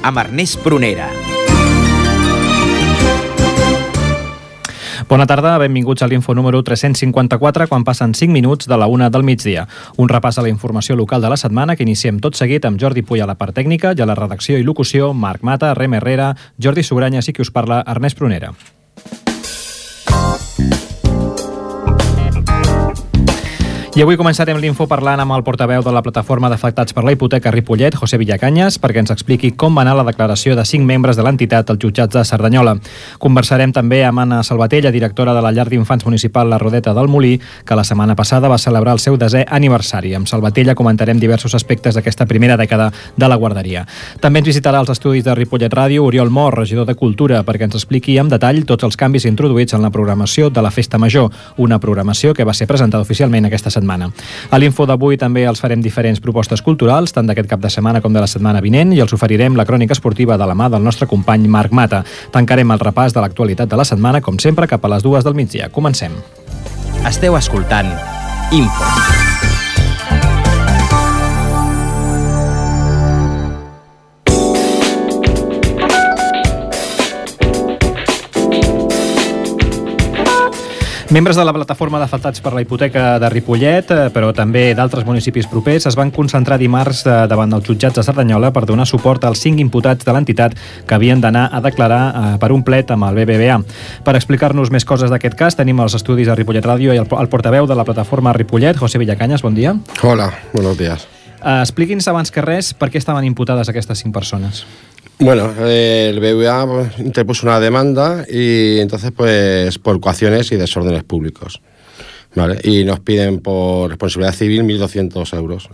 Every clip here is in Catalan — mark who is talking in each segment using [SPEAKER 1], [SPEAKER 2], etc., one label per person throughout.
[SPEAKER 1] amb Ernest Prunera.
[SPEAKER 2] Bona tarda, benvinguts a l'Info número 354, quan passen 5 minuts de la 1 del migdia. Un repàs a la informació local de la setmana que iniciem tot seguit amb Jordi Puy a la part tècnica i a la redacció i locució, Marc Mata, Rem Herrera, Jordi Sugranyes i qui us parla, Ernest Prunera. I avui començarem l'Info parlant amb el portaveu de la plataforma d'afectats per la hipoteca Ripollet, José Villacanyes, perquè ens expliqui com va anar la declaració de 5 membres de l'entitat als jutjats de Cerdanyola. Conversarem també amb Anna Salvatella, directora de la llar d'infants municipal La Rodeta del Molí, que la setmana passada va celebrar el seu 10è aniversari. Amb Salvatella comentarem diversos aspectes d'aquesta primera dècada de la guarderia. També ens visitarà els estudis de Ripollet Ràdio Oriol Mor, regidor de Cultura, perquè ens expliqui amb detall tots els canvis introduïts en la programació de la Festa Major, una programació que va ser presentada oficialment aquesta setmana. A l'Info d'avui també els farem diferents propostes culturals, tant d'aquest cap de setmana com de la setmana vinent, i els oferirem la crònica esportiva de la mà del nostre company Marc Mata. Tancarem el repàs de l'actualitat de la setmana, com sempre, cap a les 2 del migdia. Comencem.
[SPEAKER 1] Esteu escoltant Info.
[SPEAKER 2] Membres de la plataforma d'afectats per la hipoteca de Ripollet, però també d'altres municipis propers, es van concentrar dimarts davant dels jutjats de Cerdanyola per donar suport als 5 imputats de l'entitat que havien d'anar a declarar per un plet amb el BBVA. Per explicar-nos més coses d'aquest cas, tenim als estudis de Ripollet Ràdio i el portaveu de la plataforma Ripollet, José Villacanyes, bon dia.
[SPEAKER 3] Hola, buenos días.
[SPEAKER 2] Expliqui'ns abans que res per què estaven imputades aquestes 5 persones.
[SPEAKER 3] Bueno, el BBVA interpuso una demanda y entonces pues por coacciones y desórdenes públicos, ¿vale? Y nos piden por responsabilidad civil 1.200 euros.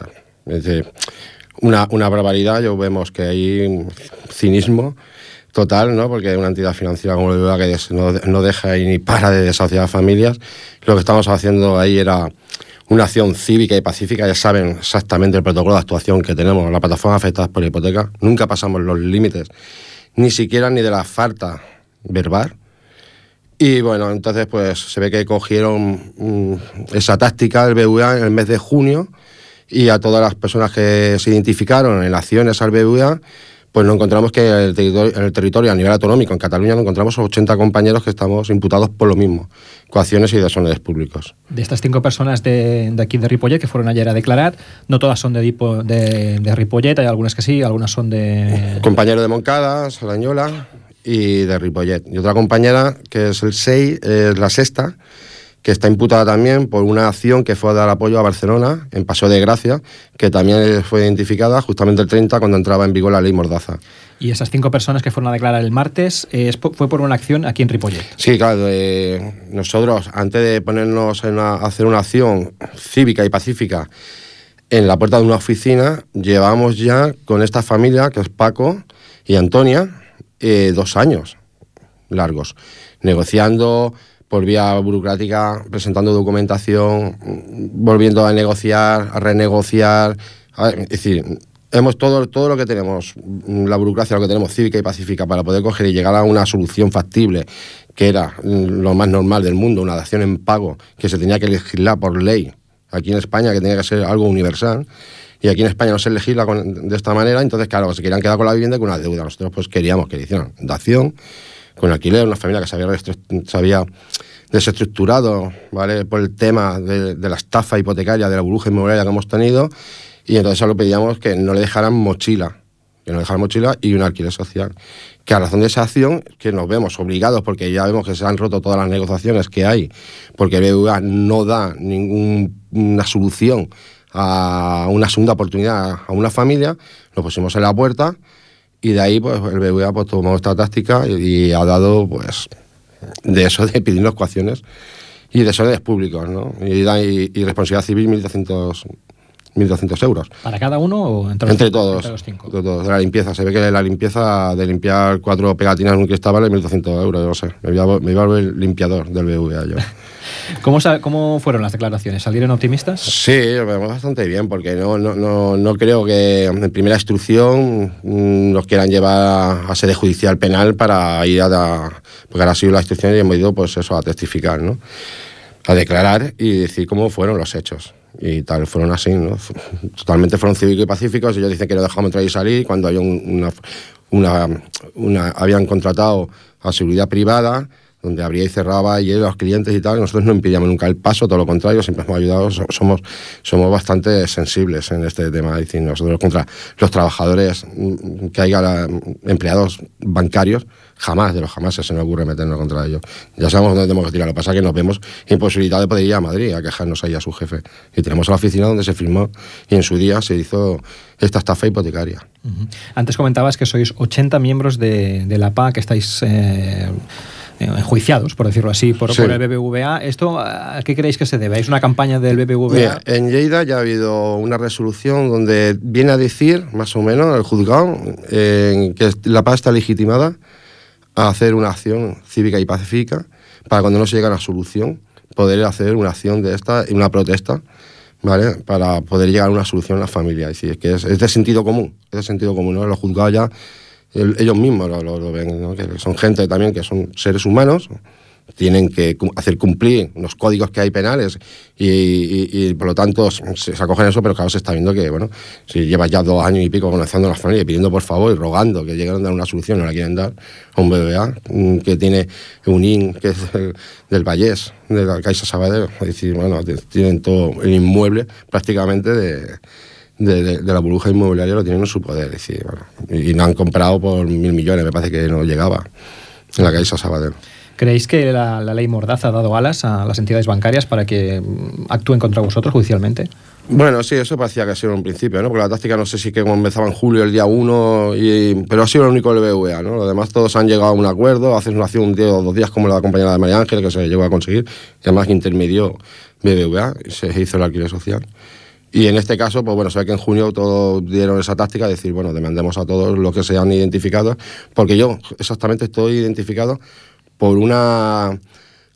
[SPEAKER 3] Es decir, una barbaridad. Yo vemos que hay un cinismo total, ¿no? Porque una entidad financiera como el BBVA que no deja ni para de desahuciar a familias. Lo que estamos haciendo ahí era una acción cívica y pacífica. Ya saben exactamente el protocolo de actuación que tenemos en la plataforma afectadas por la hipoteca. Nunca pasamos los límites, ni siquiera ni de la falta verbal. Y bueno, entonces pues se ve que cogieron esa táctica del BBVA en el mes de junio, y a todas las personas que se identificaron en acciones al BBVA, pues nos encontramos que en el territorio a nivel autonómico, en Cataluña, nos encontramos 80 compañeros que estamos imputados por lo mismo, coacciones y desórdenes públicos.
[SPEAKER 2] De estas 5 personas de aquí de Ripollet que fueron ayer a declarar, no todas son de Ripollet, hay algunas que sí, algunas son de...
[SPEAKER 3] Compañero de Moncada, Cerdanyola y de Ripollet. Y otra compañera, que es el 6, es la sexta, que está imputada también por una acción que fue a dar apoyo a Barcelona, en Paseo de Gracia, que también fue identificada justamente el 30, cuando entraba en vigor la ley Mordaza.
[SPEAKER 2] Y esas 5 personas que fueron a declarar el martes, fue por una acción aquí en Ripollet.
[SPEAKER 3] Sí, claro. Nosotros, antes de ponernos a hacer una acción cívica y pacífica en la puerta de una oficina, llevamos ya con esta familia, que es Paco y Antonia, 2 años largos, negociando por vía burocrática, presentando documentación, volviendo a negociar, a renegociar. Es decir, hemos todo lo que tenemos, la burocracia, lo que tenemos cívica y pacífica para poder coger y llegar a una solución factible, que era lo más normal del mundo, una dación en pago, que se tenía que legislar por ley aquí en España, que tenía que ser algo universal. Y aquí en España no se legisla de esta manera. Entonces, claro, se querían quedar con la vivienda y con una deuda. Nosotros pues queríamos que le hicieran dación, con alquiler, una familia que se había desestructurado, ¿vale?, por el tema de la estafa hipotecaria, de la burbuja inmobiliaria que hemos tenido, y entonces solo pedíamos que no le dejaran mochila y un alquiler social. Que a razón de esa acción, que nos vemos obligados, porque ya vemos que se han roto todas las negociaciones que hay, porque el BBVA no da ninguna solución a una segunda oportunidad a una familia, nos pusimos en la puerta. Y de ahí pues el BBVA pues tomó esta táctica y ha dado pues de eso de pedirnos coacciones y desórdenes públicos, ¿no? Y responsabilidad civil 1.200 euros.
[SPEAKER 2] ¿Para cada uno o
[SPEAKER 3] entre todos?
[SPEAKER 2] Entre los 5.
[SPEAKER 3] Entre todos. De la limpieza. Se ve que la limpieza de limpiar 4 pegatinas en un cristal vale 1.200 euros, yo no sé. Me iba a volver el limpiador del BBVA yo.
[SPEAKER 2] ¿Cómo fueron las declaraciones? ¿Salieron optimistas?
[SPEAKER 3] Sí, bastante bien, porque no creo que en primera instrucción nos quieran llevar a sede judicial penal para ir porque ahora ha sido la instrucción y hemos ido pues eso, a testificar, ¿no? A declarar y decir cómo fueron los hechos. Y tal, fueron así, ¿no? Totalmente fueron cívicos y pacíficos. Ellos dicen que no dejamos entrar y salir. Cuando hay habían contratado a seguridad privada, donde abría y cerraba y los clientes y tal, y nosotros no impedíamos nunca el paso, todo lo contrario, siempre hemos ayudado, somos bastante sensibles en este tema, es decir, nosotros contra los trabajadores que haya empleados bancarios, jamás se nos ocurre meternos contra ellos. Ya sabemos dónde tenemos que tirar, lo que pasa es que nos vemos imposibilitados de poder ir a Madrid a quejarnos ahí a su jefe. Y tenemos la oficina donde se firmó y en su día se hizo esta estafa hipotecaria.
[SPEAKER 2] Antes comentabas que sois 80 miembros de la PA que estáis enjuiciados, por decirlo así, por el BBVA. ¿Esto a qué creéis que se debe? ¿Es una campaña del BBVA?
[SPEAKER 3] Mira, en Lleida ya ha habido una resolución donde viene a decir, más o menos, el juzgado, que la PA está legitimada a hacer una acción cívica y pacífica para cuando no se llega a una solución, poder hacer una acción de esta, una protesta, ¿vale? Para poder llegar a una solución en la familia. Es decir, que es de sentido común, ¿no? Los juzgados ya ellos mismos lo ven, ¿no? Que son gente también que son seres humanos, tienen que hacer cumplir los códigos que hay penales y por lo tanto se acogen eso, pero claro, se está viendo que, bueno, si llevas ya 2 años y pico conociendo a las familias, pidiendo por favor y rogando que lleguen a dar una solución, no la quieren dar a un BBVA que tiene un IN que es del Vallés, de la Caixa Sabadell, es decir, bueno, tienen todo el inmueble prácticamente de la burbuja inmobiliaria, lo tienen en su poder, es decir, bueno, y no han comprado por 1.000 millones, me parece que no llegaba en la Caixa Sabadell.
[SPEAKER 2] ¿Creéis que la ley Mordaza ha dado alas a las entidades bancarias para que actúen contra vosotros judicialmente?
[SPEAKER 3] Bueno, sí, eso parecía que ha sido en un principio, ¿no? Porque la táctica no sé si que comenzaba en julio, el día 1, pero ha sido el único del BBVA, ¿no? Los demás todos han llegado a un acuerdo, hace una acción un día o 2 días como la compañera de María Ángel, que se llegó a conseguir, y además intermedió BBVA y se hizo el alquiler social. Y en este caso, pues bueno, se ve que en junio todos dieron esa táctica de decir, bueno, demandemos a todos los que se han identificado, porque yo exactamente estoy identificado por una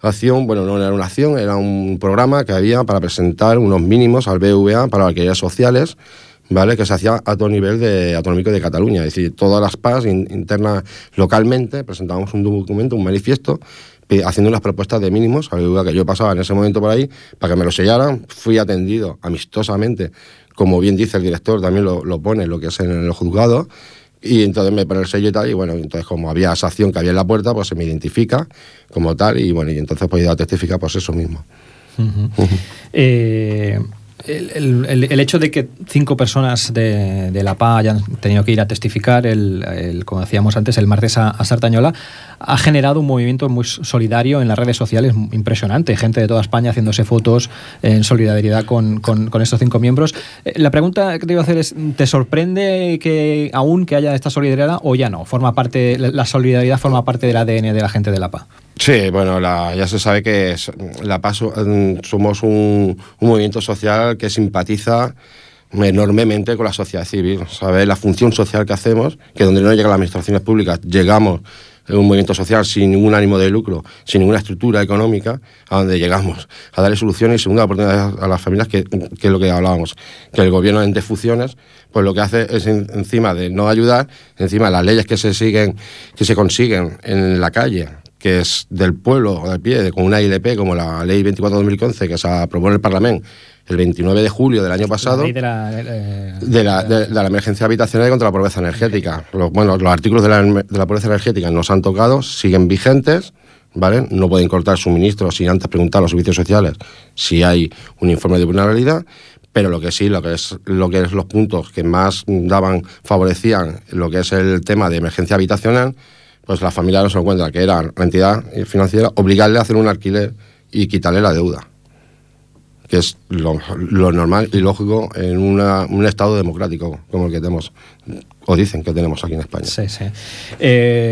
[SPEAKER 3] acción, bueno, no era una acción, era un programa que había para presentar unos mínimos al BBVA para alquileres sociales, ¿vale? Que se hacía a todo nivel autonómico de Cataluña, es decir, todas las PAs internas localmente presentábamos un documento, un manifiesto, haciendo unas propuestas de mínimos al BBVA, que yo pasaba en ese momento por ahí para que me lo sellaran, fui atendido amistosamente, como bien dice el director, también lo pone lo que es en el juzgado. Y entonces me pone el sello y tal, y bueno, entonces como había esa acción que había en la puerta, pues se me identifica como tal, y bueno, y entonces pues he ido a testificar pues eso mismo.
[SPEAKER 2] El hecho de que 5 personas de la PA hayan tenido que ir a testificar, como decíamos antes, el martes a Sardañola, ha generado un movimiento muy solidario en las redes sociales impresionante. Gente de toda España haciéndose fotos en solidaridad con estos 5 miembros. La pregunta que te iba a hacer es, ¿te sorprende que haya esta solidaridad o ya no? ¿La solidaridad forma parte del ADN de la gente de la PA?
[SPEAKER 3] Sí, bueno, ya se sabe que la PA somos un movimiento social que simpatiza enormemente con la sociedad civil. ¿Sabes? La función social que hacemos, que donde no llegan las administraciones públicas, llegamos en un movimiento social sin ningún ánimo de lucro, sin ninguna estructura económica, a donde llegamos a darle soluciones y segunda oportunidad a las familias, que es lo que hablábamos, que el gobierno en defunciones, pues lo que hace es encima de no ayudar, encima de las leyes que se consiguen en la calle, que es del pueblo o del pie, con una ILP como la Ley 24/2015 que se aprobó en el Parlamento el 29 de julio del año pasado,
[SPEAKER 2] la ley
[SPEAKER 3] de la emergencia habitacional y contra la pobreza energética. Los artículos de la pobreza energética no se han tocado, siguen vigentes, ¿vale? No pueden cortar suministros sin antes preguntar a los servicios sociales si hay un informe de vulnerabilidad, pero lo que es los puntos que más favorecían lo que es el tema de emergencia habitacional, pues la familia no se encuentra, que era la entidad financiera, obligarle a hacer un alquiler y quitarle la deuda, que es lo normal y lógico en un estado democrático como el que tenemos, o dicen que tenemos aquí en España.
[SPEAKER 2] Sí, sí.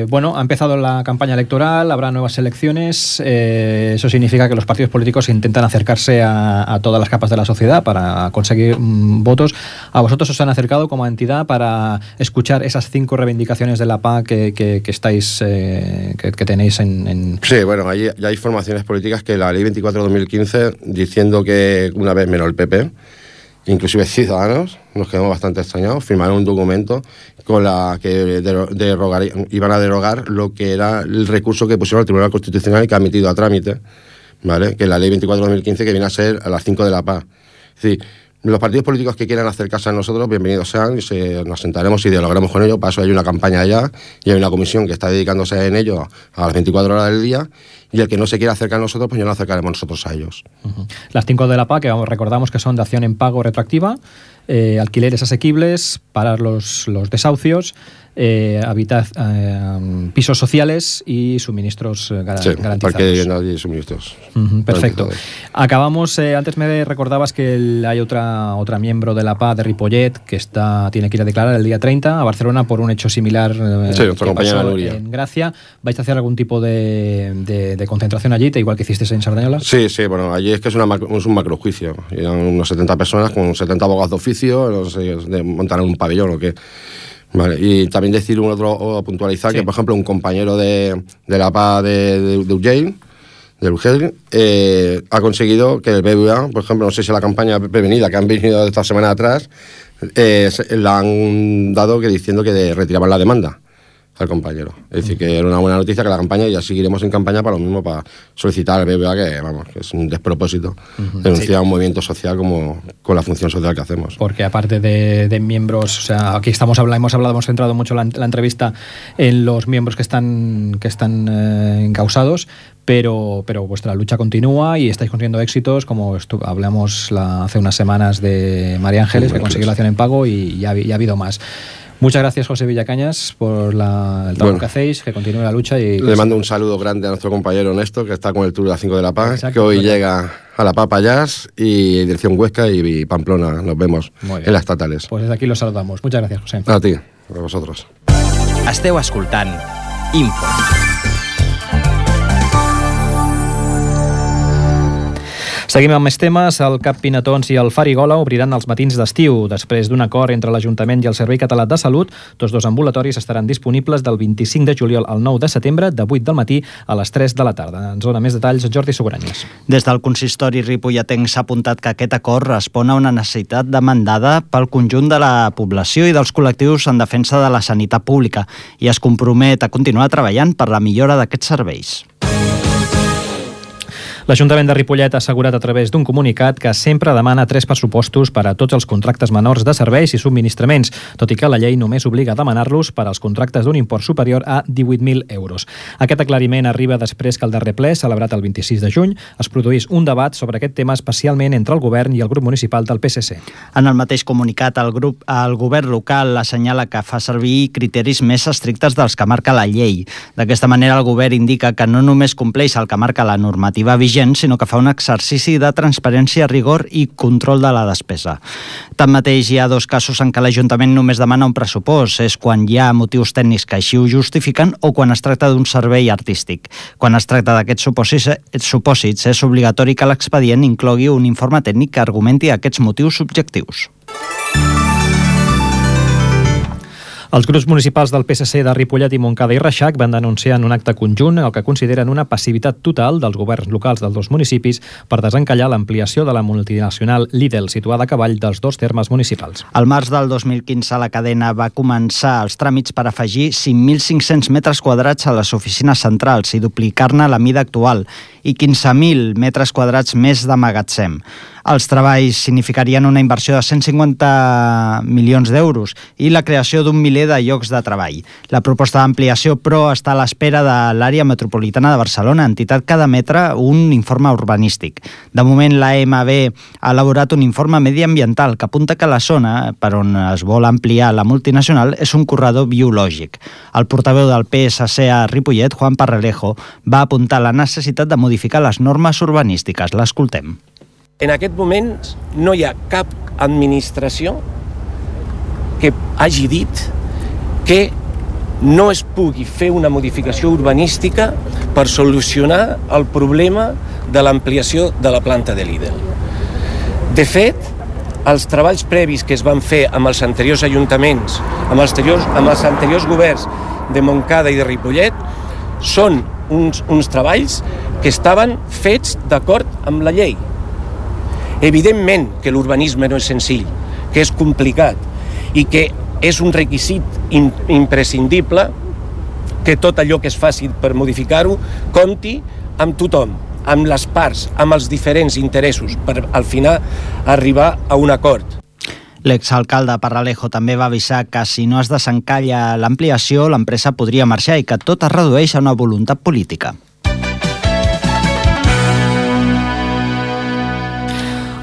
[SPEAKER 2] Bueno, ha empezado la campaña electoral, habrá nuevas elecciones, eso significa que los partidos políticos intentan acercarse a todas las capas de la sociedad para conseguir votos. ¿A vosotros os han acercado como entidad para escuchar esas 5 reivindicaciones de la PA que estáis, que tenéis en...? Sí,
[SPEAKER 3] bueno, ya hay formaciones políticas que la Ley 24/2015, diciendo que una vez menos el PP, inclusive Ciudadanos, nos quedamos bastante extrañados, firmaron un documento con la que iban a derogar lo que era el recurso que pusieron al Tribunal Constitucional y que ha admitido a trámite, ¿vale? Que es la Ley 24/2015, que viene a ser a las 5 de la PA. Es decir, Los partidos políticos que quieran acercarse a nosotros, bienvenidos sean, y nos sentaremos y dialogaremos con ellos. Para eso hay una campaña allá y hay una comisión que está dedicándose en ello a las 24 horas del día, y el que no se quiera acercar a nosotros, pues ya nos acercaremos nosotros a ellos.
[SPEAKER 2] Las 5 de la PA, que recordamos que son de acción en pago retroactiva, alquileres asequibles, parar los desahucios, pisos sociales y suministros garantizados.
[SPEAKER 3] Parque de vivienda y suministros.
[SPEAKER 2] Perfecto. Acabamos, antes me recordabas que hay otra miembro de la PA de Ripollet que tiene que ir a declarar el día 30 a Barcelona por un hecho similar
[SPEAKER 3] que pasó
[SPEAKER 2] en Gracia. ¿Vais a hacer algún tipo de concentración allí, igual que hicisteis en Sardañola?
[SPEAKER 3] Sí, bueno, allí es que es un macrojuicio. Eran unos 70 personas con 70 abogados de oficio, no sé, montaron un pabellón o qué. Vale, y también decir puntualizar que, por ejemplo, un compañero de la PA de Urgell, ha conseguido que el BBVA, por ejemplo, no sé si la campaña prevenida que han venido esta semana atrás, la han dado diciendo que retiraban la demanda al compañero. Es decir, que era una buena noticia que la campaña, y ya seguiremos en campaña para lo mismo, para solicitar al BBVA, que es un despropósito denunciar un movimiento social con la función social que hacemos.
[SPEAKER 2] Porque aparte de miembros, o sea, aquí hemos centrado mucho la entrevista en los miembros que están encausados, pero vuestra lucha continúa y estáis consiguiendo éxitos, como hablamos hace unas semanas de María Ángeles, que consiguió la acción en pago, y ya ha habido más. Muchas gracias, José Villacañas, por el trabajo que hacéis, que continúe la lucha. Le
[SPEAKER 3] mando un saludo grande a nuestro compañero Néstor, que está con el Tour de las 5 de la PA, que hoy llega a la PA Pallars y dirección Huesca y Pamplona. Nos vemos en las estatales.
[SPEAKER 2] Pues desde aquí los saludamos. Muchas gracias, José.
[SPEAKER 3] A ti, a vosotros.
[SPEAKER 1] Esteu escoltant Info.
[SPEAKER 2] Seguim amb més temes. El Cap Pinatons i el Farigola obriran els matins d'estiu. Després d'un acord entre l'Ajuntament i el Servei Català de Salut, tots dos ambulatoris estaran disponibles del 25 de juliol al 9 de setembre, de 8 del matí a les 3 de la tarda. Ens dona més detalls Jordi Sogoranyes.
[SPEAKER 4] Des del consistori ripolletenc s'ha apuntat que aquest acord respon a una necessitat demandada pel conjunt de la població i dels col·lectius en defensa de la sanitat pública i es compromet a continuar treballant per la millora d'aquests serveis.
[SPEAKER 2] L'Ajuntament de Ripollet ha assegurat a través d'un comunicat que sempre demana 3 pressupostos per a tots els contractes menors de serveis i subministraments, tot i que la llei només obliga a demanar-los per als contractes d'un import superior a 18.000 euros. Aquest aclariment arriba després que el darrer ple, celebrat el 26 de juny, es produís un debat sobre aquest tema especialment entre el govern i el grup municipal del PSC.
[SPEAKER 4] En el mateix comunicat, el govern local assenyala que fa servir criteris més estrictes dels que marca la llei. D'aquesta manera, el govern indica que no només compleix el que marca la normativa vigent, sinó que fa un exercici de transparència, rigor i control de la despesa. Tanmateix, hi ha 2 casos en què l'Ajuntament només demana un pressupost. És quan hi ha motius tècnics que així ho justifiquen o quan es tracta d'un servei artístic. Quan es tracta d'aquests supòsits, és obligatori que l'expedient inclogui un informe tècnic que argumenti aquests motius subjectius.
[SPEAKER 2] Els grups municipals del PSC de Ripollet i Montcada i Reixac van denunciar en un acte conjunt el que consideren una passivitat total dels governs locals dels 2 municipis per desencallar l'ampliació de la multinacional Lidl, situada a cavall dels 2 termes municipals.
[SPEAKER 4] Al març del 2015, la cadena va començar els tràmits per afegir 5.500 metres quadrats a les oficines centrals i duplicar-ne la mida actual i 15.000 metres quadrats més de magatzem. Els treballs significarien una inversió de 150 milions d'euros i la creació d'un miler de llocs de treball. La proposta d'ampliació, però, està a l'espera de l'àrea metropolitana de Barcelona, entitat que ha d'emetre un informe urbanístic. De moment, l'AMB ha elaborat un informe mediambiental que apunta que la zona per on es vol ampliar la multinacional és un corredor biològic. El portaveu del PSC a Ripollet, Juan Parrelejo, va apuntar la necessitat de modificar les normes urbanístiques. L'escoltem.
[SPEAKER 5] En aquest moment no hi ha cap administració que hagi dit que no es pugui fer una modificació urbanística per solucionar el problema de l'ampliació de la planta de Lidl. De fet, els treballs previs que es van fer amb els anteriors ajuntaments, amb els anteriors governs de Montcada i de Ripollet, són uns treballs que estaven fets d'acord amb la llei. Evidentment que l'urbanisme no és senzill, que és complicat i que és un requisit imprescindible que tot allò que es faci per modificar-ho compti amb tothom, amb les parts, amb els diferents interessos, per al final arribar a un acord.
[SPEAKER 4] L'exalcalde Parralejo també va avisar que si no es desencalla l'ampliació, l'empresa podria marxar i que tot es redueix a una voluntat política.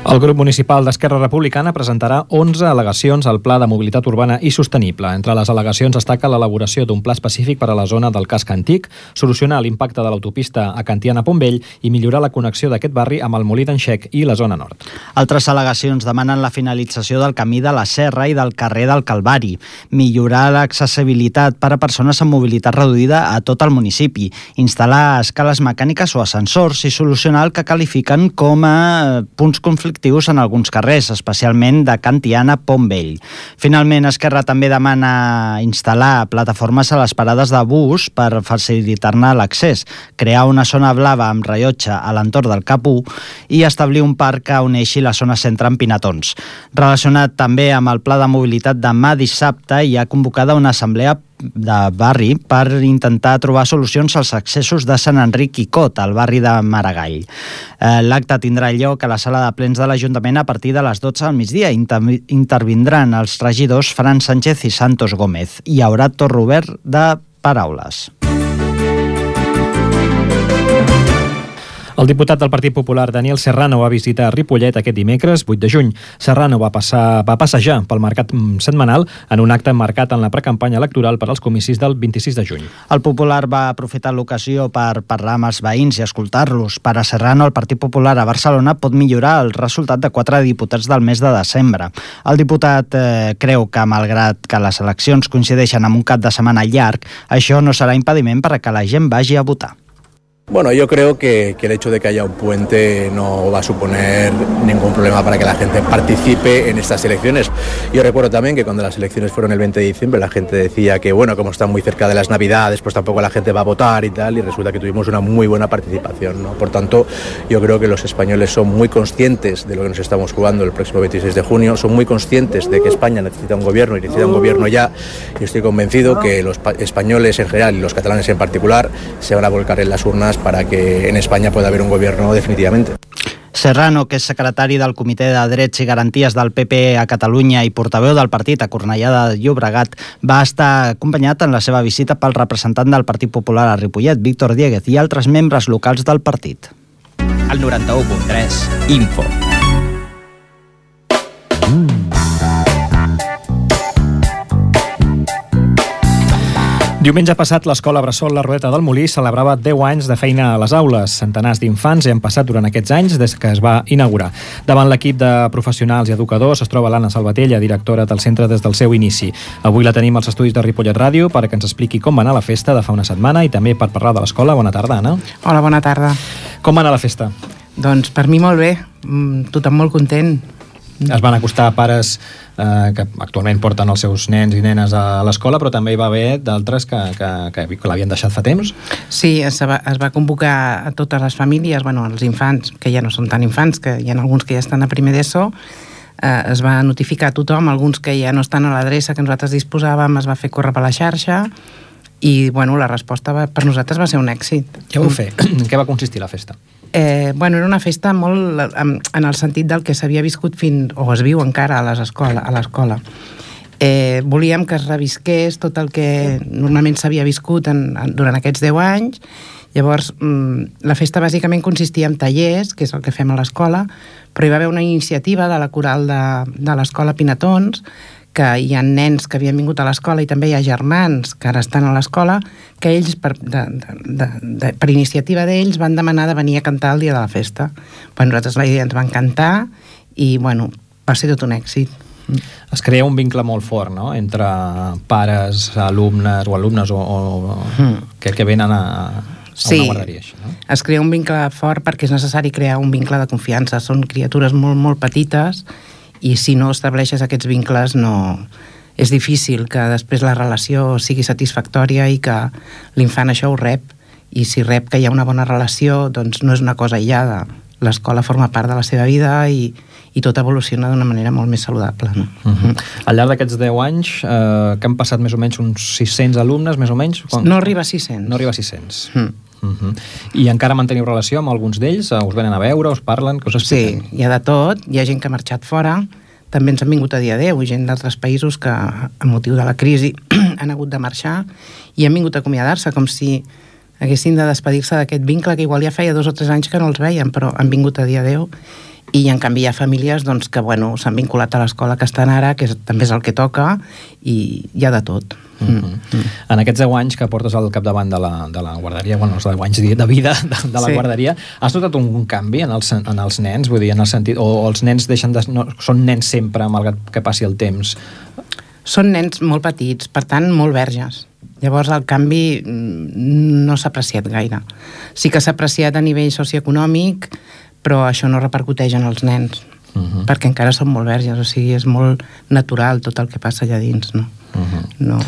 [SPEAKER 2] El grup municipal d'Esquerra Republicana presentarà 11 al·legacions al Pla de Mobilitat Urbana i Sostenible. Entre les al·legacions destaca l'elaboració d'un pla específic per a la zona del casc antic, solucionar l'impacte de l'autopista a Cantiana-Pontbell i millorar la connexió d'aquest barri amb el Molí d'en Xec i la zona nord.
[SPEAKER 4] Altres al·legacions demanen la finalització del camí de la Serra i del carrer del Calvari, millorar l'accessibilitat per a persones amb mobilitat reduïda a tot el municipi, instal·lar escales mecàniques o ascensors i solucionar el que qualifiquen com a punts conflictius en alguns carrers, especialment de Cantiana-Pontbell. Finalment, Esquerra també demana instal·lar plataformes a les parades de bus per facilitar-ne l'accés, crear una zona blava amb rellotge a l'entorn del Cap1 i establir un parc que uneixi la zona centre amb pinatons. Relacionat també amb el pla de mobilitat, demà dissabte hi ha convocada una assemblea de barri per intentar trobar solucions als accessos de Sant Enric i Cot, al barri de Maragall. L'acte tindrà lloc a la sala de plens de l'Ajuntament a partir de les 12 del migdia. Intervindran els regidors Fran Sánchez i Santos Gómez. Hi haurà torn obert de paraules.
[SPEAKER 2] El diputat del Partit Popular, Daniel Serrano, va visitar Ripollet aquest dimecres, 8 de juny. Serrano va passejar pel mercat setmanal en un acte marcat en la precampanya electoral per als comicis del 26 de juny.
[SPEAKER 4] El Popular va aprofitar l'ocasió per parlar amb els veïns i escoltar-los. Per a Serrano, el Partit Popular a Barcelona pot millorar el resultat de 4 diputats del mes de desembre. El diputat creu que, malgrat que les eleccions coincideixen amb un cap de setmana llarg, això no serà impediment per a que la gent vagi a votar.
[SPEAKER 6] Bueno, yo creo que el hecho de que haya un puente no va a suponer ningún problema para que la gente participe en estas elecciones. Yo recuerdo también que cuando las elecciones fueron el 20 de diciembre la gente decía que, bueno, como están muy cerca de las Navidades, pues tampoco la gente va a votar y tal, y resulta que tuvimos una muy buena participación, ¿no? Por tanto, yo creo que los españoles son muy conscientes de lo que nos estamos jugando el próximo 26 de junio, son muy conscientes de que España necesita un gobierno y necesita un gobierno ya, y estoy convencido que los españoles en general y los catalanes en particular se van a volcar en las urnas para que en España pueda haber un gobierno definitivamente.
[SPEAKER 4] Serrano, que és secretari del Comitè de Drets i Garanties del PP a Catalunya i portaveu del partit a Cornellà de Llobregat, va estar acompanyat en la seva visita pel representant del Partit Popular a Ripollet, Víctor Dieguez, i altres membres locals del partit.
[SPEAKER 1] El 91.3 Info.
[SPEAKER 2] Diumenge passat, l'escola Bressol La Rodeta del Molí celebrava 10 anys de feina a les aules. Centenars d'infants hi han passat durant aquests anys des que es va inaugurar. Davant l'equip de professionals i educadors es troba l'Anna Salvatella, directora del centre des del seu inici. Avui la tenim als estudis de Ripollet Ràdio perquè ens expliqui com va anar la festa de fa una setmana i també per parlar de l'escola. Bona tarda, Anna.
[SPEAKER 7] Hola, bona tarda.
[SPEAKER 2] Com va anar la festa?
[SPEAKER 7] Doncs per mi molt bé, tothom molt content.
[SPEAKER 2] Es van acostar pares que actualment porten els seus nens i nenes a l'escola, però també hi va haver d'altres que l'havien deixat fa temps?
[SPEAKER 7] Sí, es va convocar a totes les famílies, els infants, que ja no són tan infants, que hi ha alguns que ja estan a primer d'ESO, es va notificar a tothom, alguns que ja no estan a l'adreça que nosaltres disposàvem, es va fer córrer per la xarxa, i la resposta per nosaltres va ser un èxit.
[SPEAKER 2] Què vau fer? En què va consistir la festa?
[SPEAKER 7] Era una festa molt en el sentit del que s'havia viscut o es viu encara a l'escola. Volíem que es revisqués tot el que normalment s'havia viscut durant aquests 10 anys. Llavors, la festa bàsicament consistia en tallers, que és el que fem a l'escola, però hi va haver una iniciativa de la coral de l'escola Pinatons, que hi ha nens que havien vingut a l'escola i també hi ha germans que ara estan a l'escola, que ells, per iniciativa d'ells, van demanar de venir a cantar el dia de la festa. Nosaltres la idea ens va encantar i va ser tot un èxit.
[SPEAKER 2] Es crea un vincle molt fort, no?, entre pares, alumnes que venen a una guarderia. Així, no?
[SPEAKER 7] Es crea un vincle fort perquè és necessari crear un vincle de confiança. Són criatures molt, molt petites i si no estableixes aquests vincles és difícil que després la relació sigui satisfactòria i que l'infant això ho rep, i si rep que hi ha una bona relació, doncs no és una cosa aïllada. L'escola forma part de la seva vida i tot evoluciona d'una manera molt més saludable. No?
[SPEAKER 2] Al llarg d'aquests 10 anys, que han passat més o menys uns 600 alumnes, més o menys?
[SPEAKER 7] No arriba a 600.
[SPEAKER 2] No arriba a 600. I encara manteniu relació amb alguns d'ells? Us venen a veure, us parlen, què us expliquen?
[SPEAKER 7] Sí, hi ha de tot. Hi ha gent que ha marxat fora, també ens han vingut a dir adeu, gent d'altres països que, a motiu de la crisi, han hagut de marxar i han vingut a acomiadar-se, com si haguessin de despedir-se d'aquest vincle que igual ja feia 2 o 3 anys que no els veien, però han vingut a dir adeu. I en canvi hi ha famílies doncs, que s'han vinculat a l'escola que estan ara, que també és el que toca, i hi ha de tot.
[SPEAKER 2] En aquests 10 anys que portes al capdavant de la guarderia, els 10 anys de vida de la guarderia, has notat un canvi en els nens? Vull dir, en el sentit, o els nens són nens sempre, malgrat que passi el temps?
[SPEAKER 7] Són nens molt petits, per tant, molt verges. Llavors el canvi no s'ha apreciat gaire. Sí que s'ha apreciat a nivell socioeconòmic, però això no repercuteix en els nens, perquè encara són molt verges, o sigui, és molt natural tot el que passa allà dins, no? No.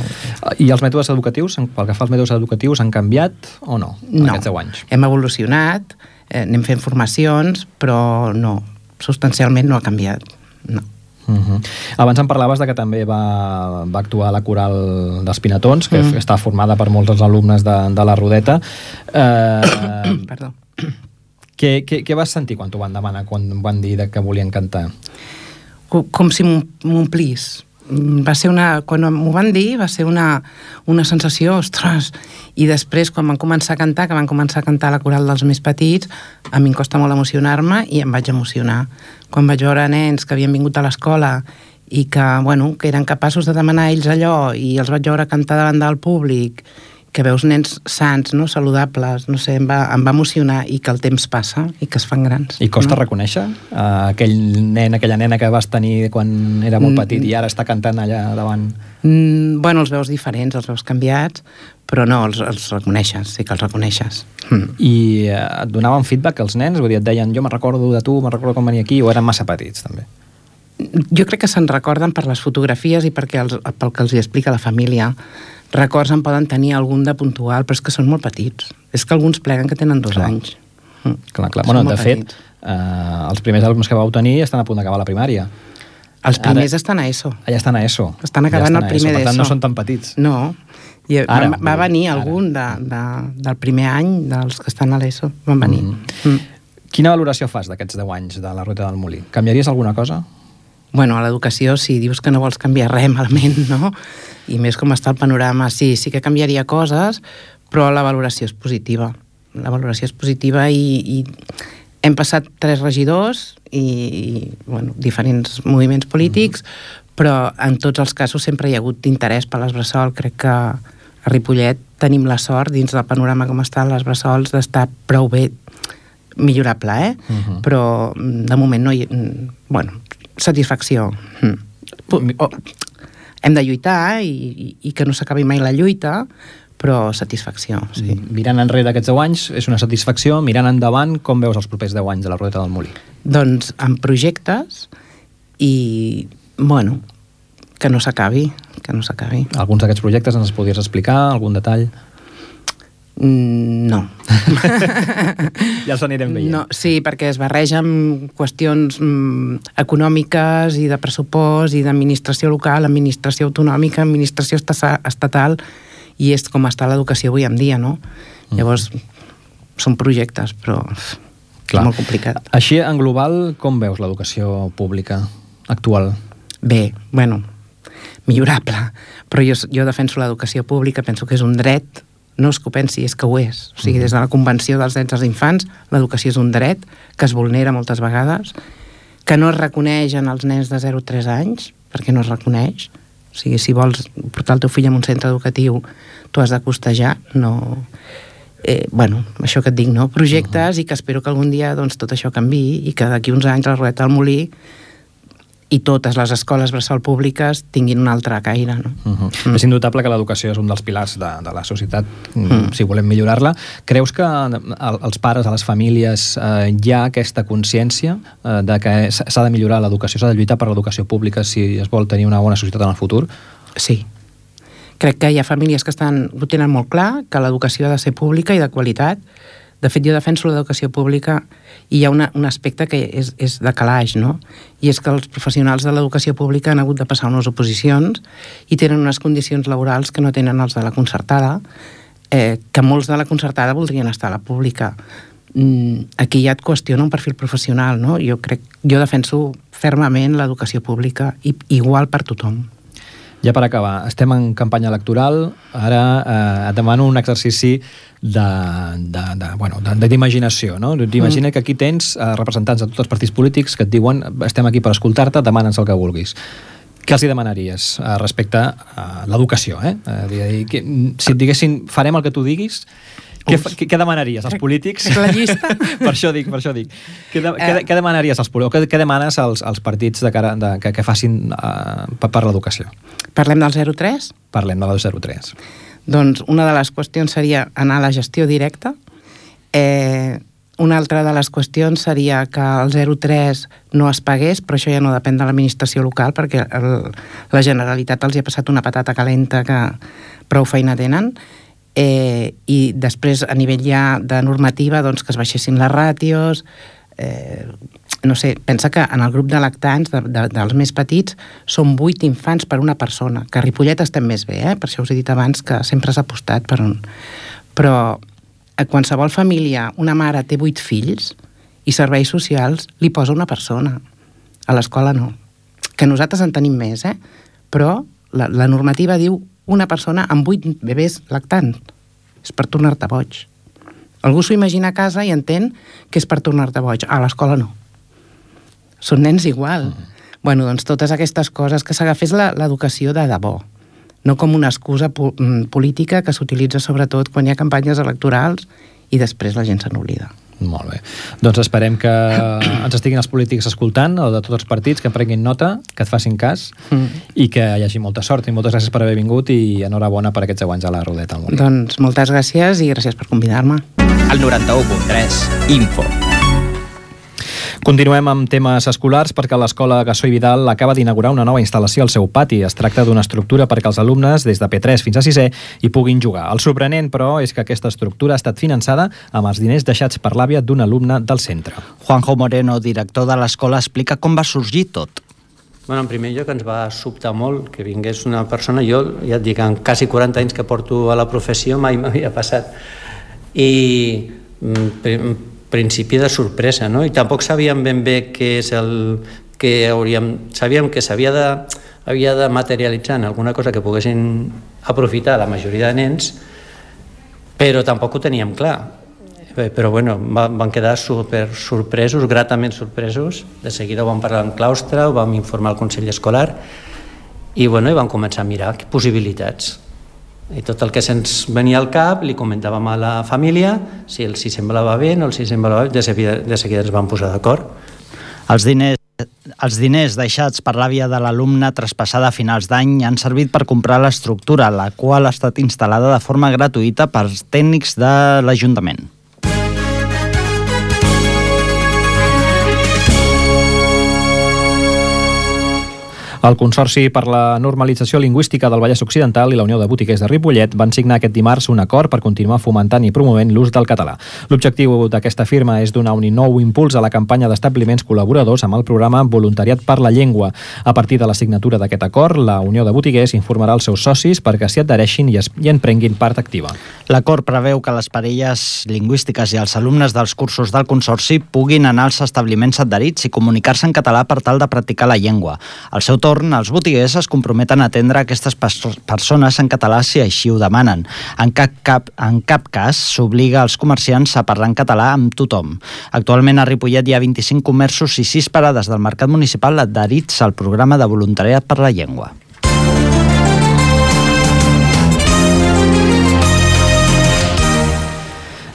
[SPEAKER 2] I els mètodes educatius, pel que fa als mètodes educatius, han canviat o no, en aquests 10 anys?
[SPEAKER 7] Hem evolucionat, anem fent formacions, però no, substancialment no ha canviat, no.
[SPEAKER 2] Abans em parlaves de que també va actuar a la coral dels Pinatons, que està formada per molts dels alumnes de la Rodeta.
[SPEAKER 7] Perdó.
[SPEAKER 2] Què vas sentir quan t'ho van demanar, quan van dir que volien cantar?
[SPEAKER 7] Com si m'omplís. Quan m'ho van dir, va ser una sensació, ostres, i després quan van començar a cantar, que van començar a cantar la coral dels més petits, a mi em costa molt emocionar-me i em vaig emocionar. Quan vaig veure nens que havien vingut a l'escola i que eren capaços de demanar ells allò i els vaig veure cantar davant del públic, que veus nens sans, no? Saludables, no sé, em va emocionar, i que el temps passa i que es fan grans.
[SPEAKER 2] I costa reconèixer aquell nen, aquella nena que vas tenir quan era molt petit i ara està cantant allà davant?
[SPEAKER 7] Els veus diferents, els veus canviats, però no, els reconeixes, sí que els reconeixes.
[SPEAKER 2] I et donaven feedback els nens? Vull dir, et deien, jo me'n recordo de tu, me'n recordo com venia aquí, o eren massa petits, també?
[SPEAKER 7] Jo crec que se'n recorden per les fotografies i pel que els hi explica la família. Records en poden tenir algun de puntual, però és que són molt petits. És que alguns pleguen que tenen 2 anys.
[SPEAKER 2] Clar. Bueno, de fet, els primers alumnes que vau tenir estan a punt d'acabar la primària.
[SPEAKER 7] Els primers estan a ESO.
[SPEAKER 2] Ja estan a ESO.
[SPEAKER 7] Estan acabant el primer d'ESO.
[SPEAKER 2] Per tant, no són tan petits.
[SPEAKER 7] No. Va venir algun del primer any, dels que estan a l'ESO. Van venir.
[SPEAKER 2] Quina valoració fas d'aquests 10 anys de la Ruta del Molí? Canviaries alguna cosa?
[SPEAKER 7] A l'educació, si dius que no vols canviar res malament, no? I més com està el panorama, sí que canviaria coses, però la valoració és positiva. La valoració és positiva i hem passat 3 regidors i diferents moviments polítics, però en tots els casos sempre hi ha hagut interès per les Bressol. Crec que a Ripollet tenim la sort, dins del panorama com estan les Bressols, d'estar prou bé, millorable, però de moment no hi ha... satisfacció. Hem de lluitar i que no s'acabi mai la lluita, però satisfacció, sí.
[SPEAKER 2] Mirant enrere aquests 10 anys és una satisfacció, mirant endavant, com veus els propers 10 anys de la Rudeta del Molí?
[SPEAKER 7] Doncs amb projectes i, que no s'acabi,
[SPEAKER 2] Alguns d'aquests projectes ens podries explicar, algun detall?
[SPEAKER 7] No.
[SPEAKER 2] Ja els anirem veient.
[SPEAKER 7] No, sí, perquè es barreja amb qüestions econòmiques i de pressupost i d'administració local, administració autonòmica, administració estatal, i és com està l'educació avui en dia, no? Llavors, són projectes, però és molt complicat.
[SPEAKER 2] Així, en global, com veus l'educació pública actual?
[SPEAKER 7] Bé, millorable, però jo defenso l'educació pública, penso que és un dret. No és que ho pensi, és que ho és. O sigui, des de la Convenció dels Drets dels Infants, l'educació és un dret que es vulnera moltes vegades, que no es reconeix en els nens de 0 a 3 anys, perquè no es reconeix. O sigui, si vols portar el teu fill a un centre educatiu, tu has de costejar, no... això que et dic, no? Projectes, i que espero que algun dia tot això canviï i que d'aquí uns anys la Rudeta del Molí i totes les escoles bressol públiques tinguin un altre caire, no?
[SPEAKER 2] És indubtable que l'educació és un dels pilars de la societat, si volem millorar-la. Creus que als pares, a les famílies, hi ha aquesta consciència de que s'ha de millorar l'educació, s'ha de lluitar per l'educació pública si es vol tenir una bona societat en el futur?
[SPEAKER 7] Sí. Crec que hi ha famílies que ho tenen molt clar, que l'educació ha de ser pública i de qualitat. De fet, jo defenso l'educació pública i hi ha un aspecte que és de calaix, no? I és que els professionals de l'educació pública han hagut de passar unes oposicions i tenen unes condicions laborals que no tenen els de la concertada, que molts de la concertada voldrien estar a la pública. Aquí ja et qüestiona un perfil professional, no? Jo defenso fermament l'educació pública igual per tothom.
[SPEAKER 2] Ja per acabar, estem en campanya electoral, ara et demano un exercici d'imaginació, no? Imagina que aquí tens representants de tots els partits polítics que et diuen estem aquí per escoltar-te, demana'ns el que vulguis. Què els hi demanaries respecte a l'educació? Si et diguessin farem el que tu diguis, què demanaries als polítics?
[SPEAKER 7] La llista?
[SPEAKER 2] Per això dic. Què demanaries als polítics? Què demanes als partits que facin per l'educació?
[SPEAKER 7] Parlem del 03?
[SPEAKER 2] Parlem del 03.
[SPEAKER 7] Doncs una de les qüestions seria anar a la gestió directa. Una altra de les qüestions seria que el 03 no es pagués, però això ja no depèn de l'administració local, perquè la Generalitat els hi ha passat una patata calenta que prou feina tenen. I després a nivell ja de normativa doncs que es baixessin les ràtios, no sé, pensa que en el grup de lactants dels més petits són 8 infants per una persona, que a Ripollet estem més bé, per això us he dit abans que sempre s'ha apostat per un... Però a qualsevol família una mare té 8 fills i serveis socials li posa una persona, a l'escola no, que nosaltres en tenim més, però la normativa diu una persona amb 8 bebès lactants. És per tornar-te boig. Algú s'ho imagina a casa i entén que és per tornar-te boig. A l'escola no. Són nens igual. Bueno, doncs totes aquestes coses, que s'agafés l'educació de debò, no com una excusa política que s'utilitza sobretot quan hi ha campanyes electorals i després la gent se n'oblida.
[SPEAKER 2] Molt bé. Doncs esperem que ens estiguin els polítics escoltant, o de tots els partits, que en prenguin nota, que et facin cas, i que hi hagi molta sort. I moltes gràcies per haver vingut i enhorabona per aquests 10 anys a la Rodeta al Molí.
[SPEAKER 7] Doncs moltes gràcies i gràcies per convidar-me.
[SPEAKER 1] El 91.3, Info.
[SPEAKER 2] Continuem amb temes escolars perquè l'Escola Gassó i Vidal acaba d'inaugurar una nova instal·lació al seu pati. Es tracta d'una estructura perquè els alumnes des de P3 fins a 6è hi puguin jugar. El sorprenent, però, és que aquesta estructura ha estat finançada amb els diners deixats per l'àvia d'un alumne del centre.
[SPEAKER 4] Juanjo Moreno, director de l'escola, explica com va sorgir tot.
[SPEAKER 8] Bueno, en primer lloc ens va sobtar molt que vingués una persona, jo ja et dic, en quasi 40 anys que porto a la professió mai m'havia passat. I principi de sorpresa, no? I tampoc sabíem ben bé què és el que hauríem... Sabíem que havia de materialitzar en alguna cosa que poguessin aprofitar la majoria de nens, però tampoc ho teníem clar. Però bueno, van quedar super sorpresos, gratament sorpresos. De seguida ho vam parlar en claustre, ho vam informar al Consell Escolar i bueno, vam començar a mirar possibilitats. I tot el que se'ns venia al cap li comentàvem a la família si els hi semblava bé o els hi semblava bé, de seguida ens vam posar d'acord.
[SPEAKER 4] Els diners deixats per l'àvia de l'alumne traspassada a finals d'any han servit per comprar l'estructura, la qual ha estat instal·lada de forma gratuïta pels tècnics de l'Ajuntament.
[SPEAKER 2] El Consorci per la Normalització Lingüística del Vallès Occidental i la Unió de Botiguers de Ripollet van signar aquest dimarts un acord per continuar fomentant i promovent l'ús del català. L'objectiu d'aquesta firma és donar un nou impuls a la campanya d'establiments col·laboradors amb el programa Voluntariat per la Llengua. A partir de la signatura d'aquest acord, la Unió de Botiguers informarà els seus socis perquè s'hi adhereixin i en prenguin part activa.
[SPEAKER 4] L'acord preveu que les parelles lingüístiques i els alumnes dels cursos del Consorci puguin anar als establiments adherits i comunicar-se en català per tal de practicar la llengua. Al seu torn, els botiguers es comprometen a atendre aquestes persones en català si així ho demanen. En cap cas s'obliga als comerciants a parlar en català amb tothom. Actualment a Ripollet hi ha 25 comerços i 6 parades del mercat municipal adherits al programa de voluntariat per la llengua.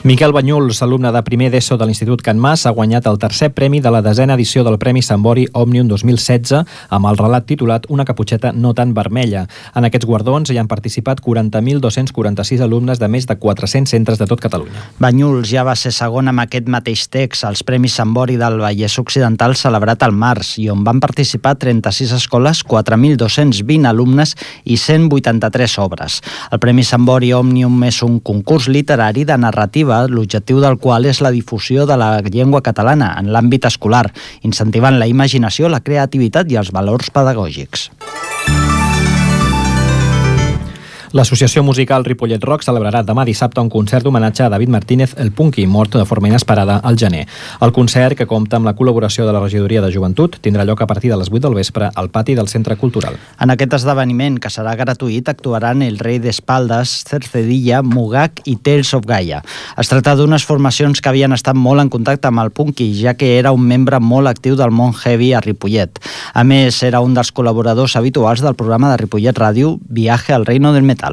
[SPEAKER 2] Miquel Banyuls, alumne de primer d'ESO de l'Institut Can Mas, ha guanyat el tercer premi de la 10a edició del Premi Sambori Òmnium 2016 amb el relat titulat Una caputxeta no tan vermella. En aquests guardons hi han participat 40.246 alumnes de més de 400 centres de tot Catalunya.
[SPEAKER 4] Banyuls ja va ser segon amb aquest mateix text als Premis Sambori del Vallès Occidental celebrat al març i on van participar 36 escoles, 4.220 alumnes i 183 obres. El Premi Sambori Òmnium és un concurs literari de narrativa l'objectiu del qual és la difusió de la llengua catalana en l'àmbit escolar, incentivant la imaginació, la creativitat i els valors pedagògics.
[SPEAKER 2] L'associació musical Ripollet Rock celebrarà demà dissabte un concert d'homenatge a David Martínez, el punky, mort de forma inesperada al gener. El concert, que compta amb la col·laboració de la Regidoria de Joventut, tindrà lloc a partir de les 8 del vespre al pati del Centre Cultural.
[SPEAKER 4] En aquest esdeveniment, que serà gratuït, actuaran El Rei d'Espaldes, Cercedilla, Mugak i Tales of Gaia. Es tracta d'unes formacions que havien estat molt en contacte amb el punky, ja que era un membre molt actiu del món heavy a Ripollet. A més, era un dels col·laboradors habituals del programa de Ripollet Ràdio Viaje al Reino del Metal.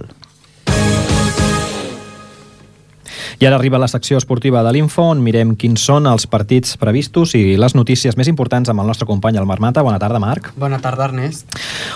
[SPEAKER 2] I ara arriba la secció esportiva de l'Info, on mirem quins són els partits previstos i les notícies més importants amb el nostre company, el Marc Mata. Bona tarda, Marc.
[SPEAKER 9] Bona tarda, Ernest.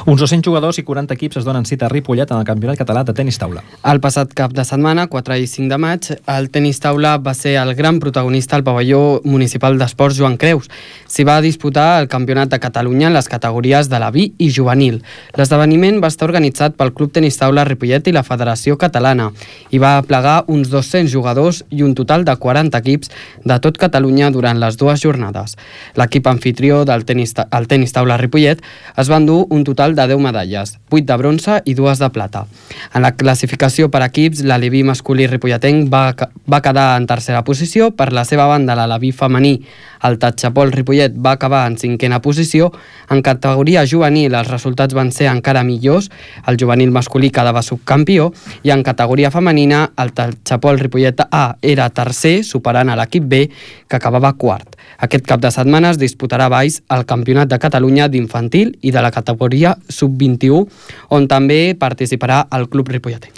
[SPEAKER 2] Uns 200 jugadors i 40 equips es donen cita a Ripollet en el Campionat Català de Tenis Taula.
[SPEAKER 9] El passat cap de setmana, 4 i 5 de maig, el tenis taula va ser el gran protagonista al pavelló municipal d'esports Joan Creus. S'hi va disputar el Campionat de Catalunya en les categories de la B i juvenil. L'esdeveniment va estar organitzat pel Club Tenis Taula Ripollet i la Federació Catalana i va plegar uns 200 jugadors i un total de 40 equips de tot Catalunya durant les dues jornades. L'equip anfitrió del tenis taula Ripollet es va endur un total de 10 medalles, 8 de bronze i 2 de plata. En la classificació per equips, l'aleví masculí ripolletenc va quedar en tercera posició. Per la seva banda, l'aleví femení, el Tatxapol Ripollet, va acabar en 5a posició. En categoria juvenil els resultats van ser encara millors. El juvenil masculí quedava subcampió i en categoria femenina el Tatxapol Ripollet A era tercer, superant a l'equip B, que acabava quart. Aquest cap de setmana es disputarà a Valls el Campionat de Catalunya d'infantil i de la categoria sub-21, on també participarà el Club Ripolletenc.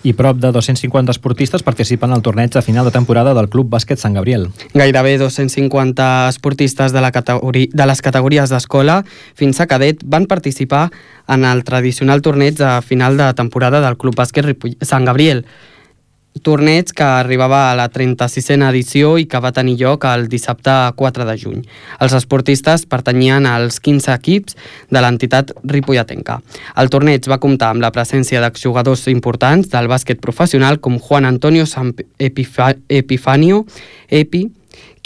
[SPEAKER 2] I prop de 250 esportistes participen al torneig de final de temporada del Club Bàsquet Sant Gabriel.
[SPEAKER 9] Gairebé 250 esportistes de les categories d'escola fins a cadet van participar en el tradicional torneig de final de temporada del Club Bàsquet Sant Gabriel. Torneig que arribava a la 36a edició i que va tenir lloc el dissabte 4 de juny. Els esportistes pertanyien als 15 equips de l'entitat ripolletenca. El torneig va comptar amb la presència d'exjugadors importants del bàsquet professional com Juan Antonio Epifanio, Epi,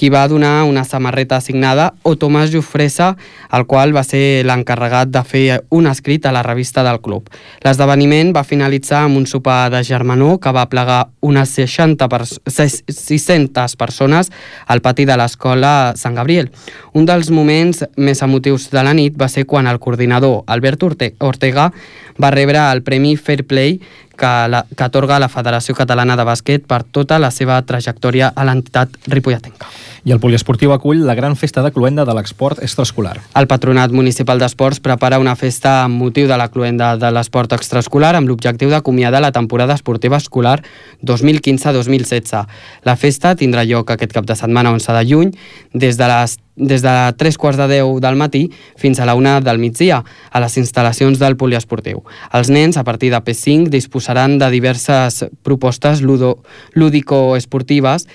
[SPEAKER 9] qui va donar una samarreta assignada, o Tomàs Jofresa, el qual va ser l'encarregat de fer un escrit a la revista del club. L'esdeveniment va finalitzar amb un sopar de germanor que va plegar unes 600 persones al pati de l'escola Sant Gabriel. Un dels moments més emotius de la nit va ser quan el coordinador Albert Ortega va rebre el Premi Fair Play que atorga la Federació Catalana de Bàsquet per tota la seva trajectòria a l'entitat ripolletenca.
[SPEAKER 2] I el poliesportiu acull la gran festa de cloenda de l'esport extraescolar.
[SPEAKER 9] El Patronat Municipal d'Esports prepara una festa amb motiu de la cloenda de l'esport extraescolar amb l'objectiu d'acomiadar la temporada esportiva escolar 2015-2016. La festa tindrà lloc aquest cap de setmana 11 de juny des de 3:15 del matí fins a la 1 del migdia a les instal·lacions del poliesportiu. Els nens, a partir de P5, disposaran de diverses propostes lúdico-esportives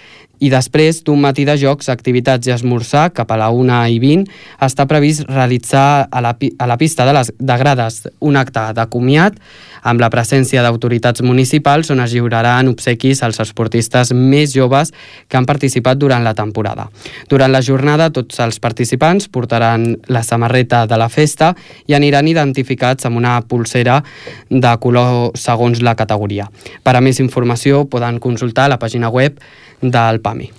[SPEAKER 9] i després d'un matí de jocs, activitats i esmorzar cap a la 1:20 està previst realitzar a la pista de grades un acte de comiat amb la presència d'autoritats municipals on es lliuraran obsequis als esportistes més joves que han participat durant la temporada. Durant la jornada, tots els participants portaran la samarreta de la festa i aniran identificats amb una pulsera de color segons la categoria. Per a més informació poden consultar la pàgina web del PAMI.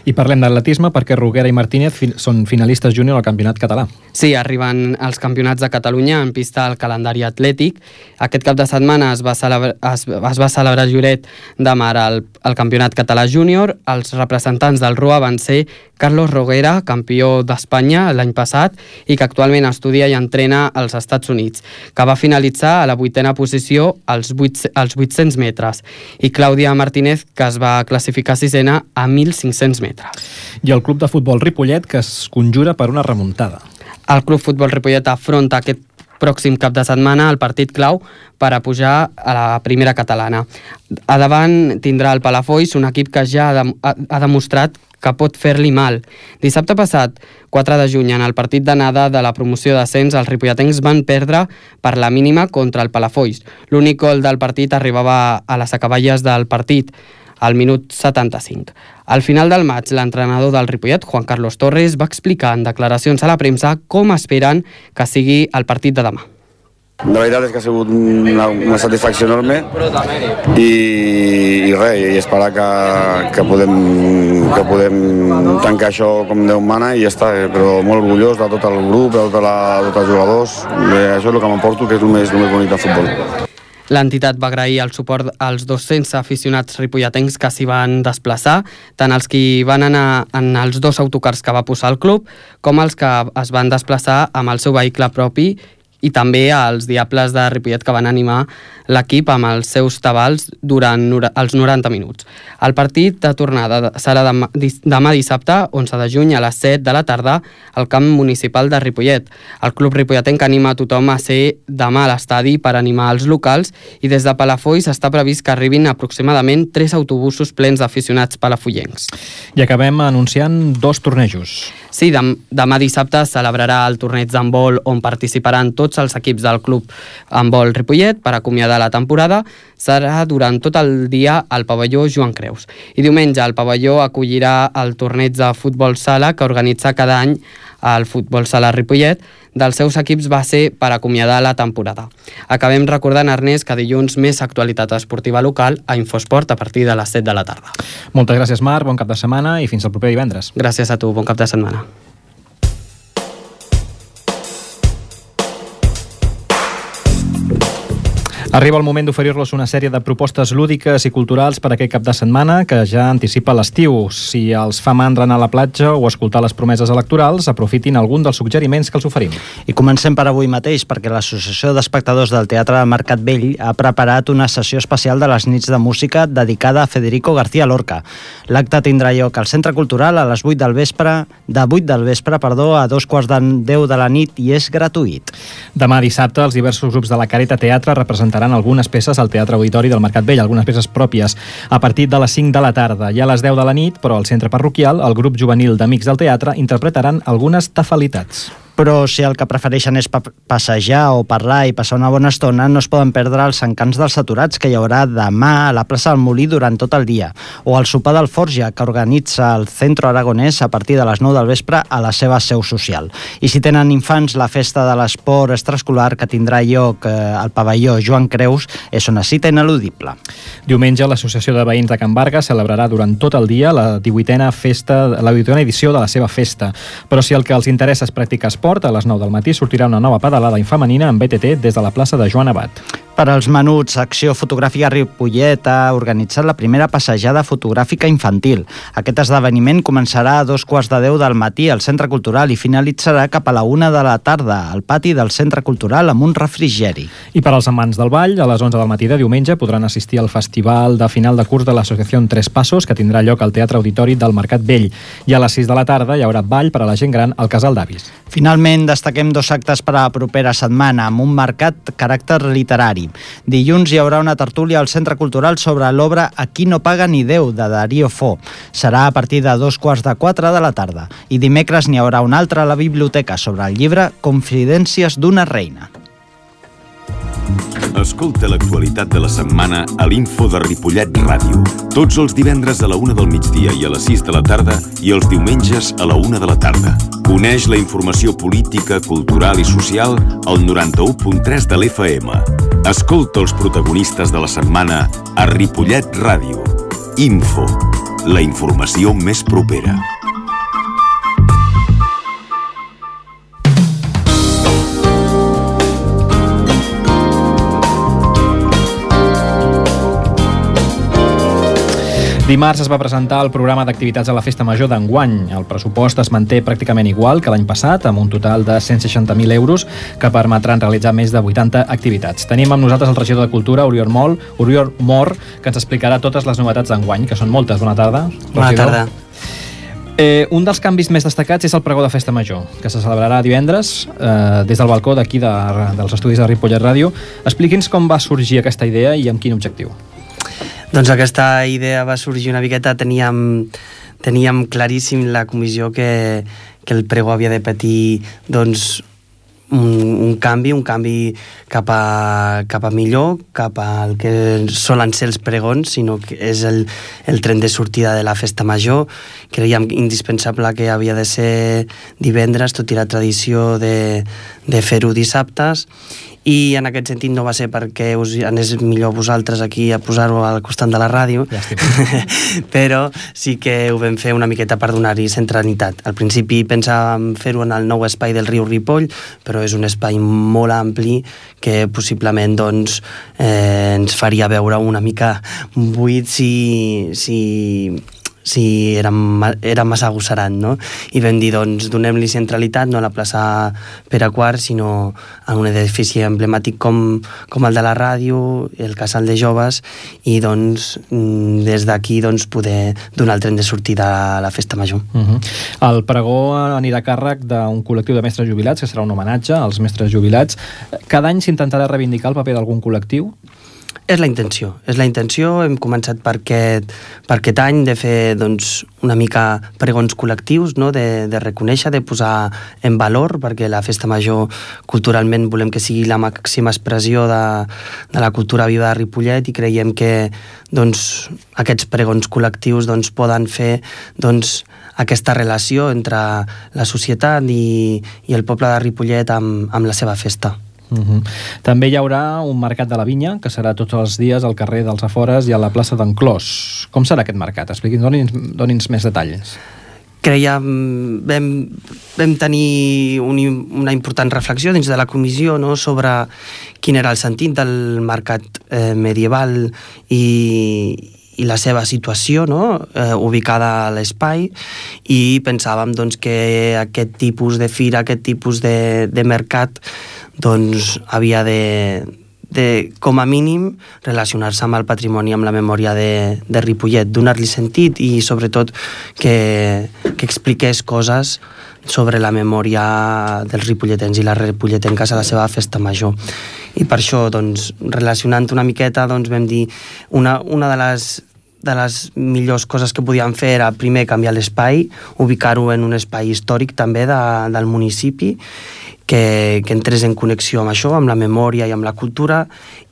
[SPEAKER 2] I parlem d'atletisme perquè Roguera i Martínez són finalistes júnior al Campionat Català.
[SPEAKER 9] Sí, arriben els campionats de Catalunya en pista al calendari atlètic. Aquest cap de setmana es va celebrar a Lloret de Mar el Campionat Català Júnior. Els representants del RUA van ser Carlos Roguera, campió d'Espanya l'any passat i que actualment estudia i entrena als Estats Units, que va finalitzar a la 8a posició als 800 metres, i Clàudia Martínez, que es va classificar 6a a 1.500 metres.
[SPEAKER 2] I el Club de Futbol Ripollet, que es conjura per una remuntada.
[SPEAKER 9] El Club Futbol Ripollet afronta aquest pròxim cap de setmana el partit clau per a pujar a la primera catalana. A davant tindrà el Palafolls, un equip que ja ha demostrat que pot fer-li mal. Dissabte passat, 4 de juny, en el partit d'anada de la promoció d'ascens, els ripolletens van perdre per la mínima contra el Palafolls. L'únic gol del partit arribava a les acaballes del partit, al minut 75. Al final del maig, l'entrenador del Ripollet, Juan Carlos Torres, va explicar en declaracions a la premsa com esperen que sigui el partit de demà.
[SPEAKER 10] La veritat és que ha sigut una satisfacció enorme i res, i esperar que podem tancar això com Déu mana i ja està, però molt orgullós de tot el grup, de tots els jugadors. Això és el que m'emporto, que és el més bonic del futbol.
[SPEAKER 9] L'entitat va agrair el suport als 200 aficionats ripolletens que s'hi van desplaçar, tant els que van anar en els 2 autocars que va posar el club, com els que es van desplaçar amb el seu vehicle propi, i també als Diables de Ripollet, que van animar l'equip amb els seus tabals durant els 90 minuts. El partit de tornada serà demà dissabte, 11 de juny, a les 7 de la tarda, al camp municipal de Ripollet. El club ripolletenc anima a tothom a ser demà a l'estadi per animar els locals, i des de Palafolls està previst que arribin aproximadament 3 autobusos plens d'aficionats palafollencs.
[SPEAKER 2] I acabem anunciant 2 tornejos.
[SPEAKER 9] Sí, demà dissabte es celebrarà el torneig d'handbol, on participaran tots els equips del club handbol Ripollet per acomiadar la temporada. Serà durant tot el dia al pavelló Joan Creus. I diumenge el pavelló acollirà el torneig de futbol sala que organitza cada any el futbol sala Ripollet. Dels seus equips va ser per acomiadar la temporada. Acabem recordant, Ernest, que dilluns més actualitat esportiva local a Infosport a partir de les 7 de la tarda.
[SPEAKER 2] Moltes gràcies, Marc, bon cap de setmana i fins al proper divendres.
[SPEAKER 9] Gràcies a tu, bon cap de setmana.
[SPEAKER 2] Arriba el moment d'oferir-los una sèrie de propostes lúdiques i culturals per aquest cap de setmana que ja anticipa l'estiu. Si els fa mandra anar a la platja o escoltar les promeses electorals, aprofitin algun dels suggeriments que els oferim.
[SPEAKER 4] I comencem per avui mateix, perquè l'Associació d'Espectadors del Teatre de Mercat Vell ha preparat una sessió especial de les nits de música dedicada a Federico García Lorca. L'acte tindrà lloc al Centre Cultural a les 8 del vespre, a 2:15 de la nit, i és gratuït.
[SPEAKER 2] Demà dissabte, els diversos grups de la Careta Teatre representaran algunes peces al Teatre Auditori del Mercat Vell, algunes peces pròpies, a partir de les 5 de la tarda. I a les 10 de la nit, però al centre parroquial, el grup juvenil d'Amics del Teatre interpretaran algunes tafalitats.
[SPEAKER 4] Però si el que prefereixen és passejar o parlar i passar una bona estona, no es poden perdre els encants dels aturats que hi haurà demà a la plaça del Molí durant tot el dia, o el sopar del Forja, que organitza el Centro Aragonès a partir de les 9 del vespre a la seva seu social. I si tenen infants, la festa de l'esport extraescolar que tindrà lloc al pavelló Joan Creus és una cita ineludible.
[SPEAKER 2] Diumenge, l'Associació de Veïns de Can Varga celebrarà durant tot el dia la 18a edició de la seva festa. Però si el que els interessa és practicar esport, a les 9 del matí sortirà una nova pedalada infemenina en BTT des de la plaça de Joan Abat.
[SPEAKER 4] Per als menuts, Acció Fotogràfica Ripollet ha organitzat la primera passejada fotogràfica infantil. Aquest esdeveniment començarà a 2:15 del matí al Centre Cultural i finalitzarà cap a la 1 de la tarda al pati del Centre Cultural amb un refrigeri.
[SPEAKER 2] I per als amants del ball, a les 11 del matí de diumenge podran assistir al festival de final de curs de l'Associació Tres Passos, que tindrà lloc al Teatre Auditori del Mercat Vell. I a les 6 de la tarda hi haurà ball per a la gent gran al Casal d'Avis.
[SPEAKER 4] Finalment, destaquem 2 actes per a la propera setmana, amb un marcat caràcter literari. Dilluns hi haurà una tertúlia al Centre Cultural sobre l'obra Aquí no paga ni Déu, de Darío Fo. Serà a partir de 3:45 de la tarda. I dimecres n'hi haurà una altra a la biblioteca sobre el llibre Confidències d'una reina.
[SPEAKER 11] Escolta l'actualitat de la setmana a l'Info de Ripollet Ràdio. Tots els divendres a la 1 del migdia i a les 6 de la tarda i els diumenges a la 1 de la tarda. Coneix la informació política, cultural i social al 91.3 de l'FM. Escolta els protagonistes de la setmana a Ripollet Ràdio. Info, la informació més propera.
[SPEAKER 2] Dimarts es va presentar el programa d'activitats a la Festa Major d'enguany. El pressupost es manté pràcticament igual que l'any passat, amb un total de 160.000 euros que permetran realitzar més de 80 activitats. Tenim amb nosaltres el regidor de Cultura, Oriol Mor, que ens explicarà totes les novetats d'enguany, que són moltes. Bona tarda.
[SPEAKER 12] Bona tarda.
[SPEAKER 2] Un dels canvis més destacats és el pregó de Festa Major, que se celebrarà divendres des del balcó d'aquí dels estudis de Ripollet Ràdio. Expliqui'ns com va sorgir aquesta idea i amb quin objectiu.
[SPEAKER 12] Doncs aquesta idea va sorgir una miqueta, teníem claríssim la comissió que el pregó havia de patir doncs, un canvi cap a millor, cap al que solen ser els pregons, sinó que és el tren de sortida de la festa major. Creiem indispensable que havia de ser divendres, tot i la tradició de fer-ho dissabtes, i en aquest sentit no va ser perquè us anés millor vosaltres aquí a posar-ho al costat de la ràdio, però sí que ho vam fer una miqueta per donar-hi centralitat. Al principi pensàvem fer-ho en el nou espai del riu Ripoll, però és un espai molt ampli que possiblement doncs, ens faria veure una mica buit si era massa agosserat, no? I vam dir, doncs, donem-li centralitat no a la plaça Pere IV, sinó a un edifici emblemàtic com el de la ràdio, el casal de joves, i doncs des d'aquí doncs, poder donar el tren de sortida a la festa major.
[SPEAKER 2] El pregó anirà a càrrec d'un col·lectiu de mestres jubilats, que serà un homenatge als mestres jubilats. Cada any s'intentarà reivindicar el paper d'algun col·lectiu?
[SPEAKER 12] És la intenció. Hem començat per aquest any de fer doncs, una mica pregons col·lectius, no? de reconèixer, de posar en valor, perquè la festa major culturalment volem que sigui la màxima expressió de la cultura viva de Ripollet, i creiem que doncs, aquests pregons col·lectius doncs, poden fer doncs, aquesta relació entre la societat i el poble de Ripollet amb la seva festa.
[SPEAKER 2] També hi haurà un mercat de la vinya, que serà tots els dies al carrer dels Afores i a la plaça d'en Clos. Com serà aquest mercat? Doni'ns més detalls.
[SPEAKER 12] Vam tenir una important reflexió dins de la comissió, no?, sobre quin era el sentit del mercat medieval i la seva situació, no? Ubicada a l'espai, i pensàvem doncs, que aquest tipus de fira, aquest tipus de mercat doncs havia de, com a mínim, relacionar-se amb el patrimoni, amb la memòria de Ripollet, donar-li sentit i sobretot que expliqués coses sobre la memòria dels ripolletens i les ripolletenques a la seva festa major. I per això, doncs, relacionant una miqueta, doncs, vam dir una de les millors coses que podíem fer era, primer, canviar l'espai, ubicar-ho en un espai històric també del municipi, que entrés en connexió amb això, amb la memòria i amb la cultura,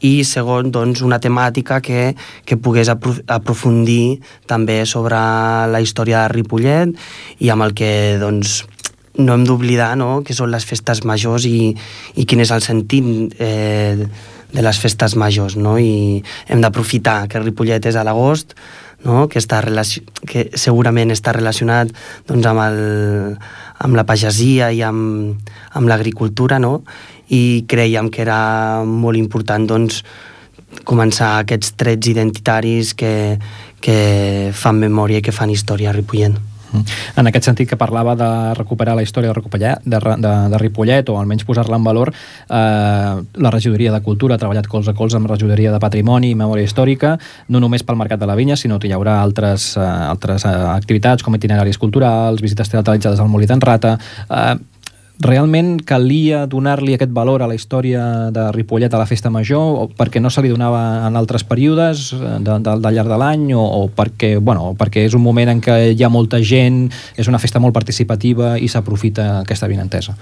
[SPEAKER 12] i segon, doncs, una temàtica que pogués aprofundir també sobre la història de Ripollet i amb el que doncs, no hem d'oblidar, no?, que són les festes majors i quin és el sentit de les festes majors, no? I hem d'aprofitar que Ripollet és a l'agost, no?, que segurament està relacionat doncs, amb la pagesia i amb l'agricultura, no? I creiem que era molt important doncs, començar aquests trets identitaris que fan memòria i que fan història a Ripollet.
[SPEAKER 2] En aquest sentit que parlava de recuperar la història de Ripollet, o almenys posar-la en valor, la regidoria de Cultura ha treballat colze a colze amb la regidoria de Patrimoni i Memòria Històrica, no només pel Mercat de la Vinya, sinó que hi haurà altres activitats com itineraris culturals, visites teatralitzades al Molí d'en Rata. Realment calia donar-li aquest valor a la història de Ripollet a la festa major, perquè no se li donava en altres períodes del llarg de l'any, o perquè és un moment en què hi ha molta gent, és una festa molt participativa i s'aprofita aquesta avinentesa?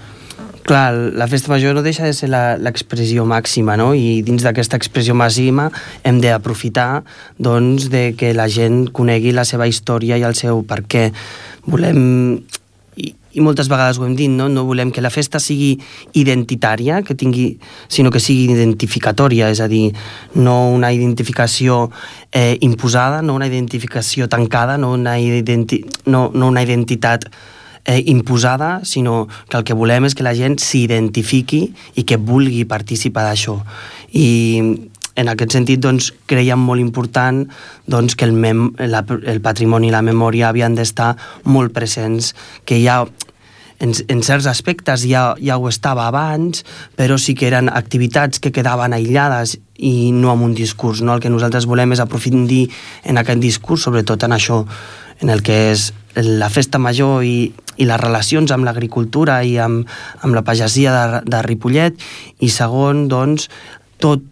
[SPEAKER 12] Clar, la festa major no deixa de ser l'expressió màxima, no? I dins d'aquesta expressió màxima hem d'aprofitar doncs, de que la gent conegui la seva història i el seu per què. Volem... I moltes vegades ho hem dit, no volem que la festa sigui identitària, sinó que sigui identificatòria, és a dir, no una identificació imposada, no una identificació tancada, no una identitat imposada, sinó que el que volem és que la gent s'identifiqui i que vulgui participar d'això. I en aquest sentit, doncs, creiem molt important doncs, que el patrimoni i la memòria havien d'estar molt presents, que ja en certs aspectes ja ho estava abans, però sí que eren activitats que quedaven aïllades i no amb un discurs. No? El que nosaltres volem és aprofundir en aquest discurs, sobretot en això, en el que és la festa major i les relacions amb l'agricultura i amb la pagesia de Ripollet, i segon, doncs, tot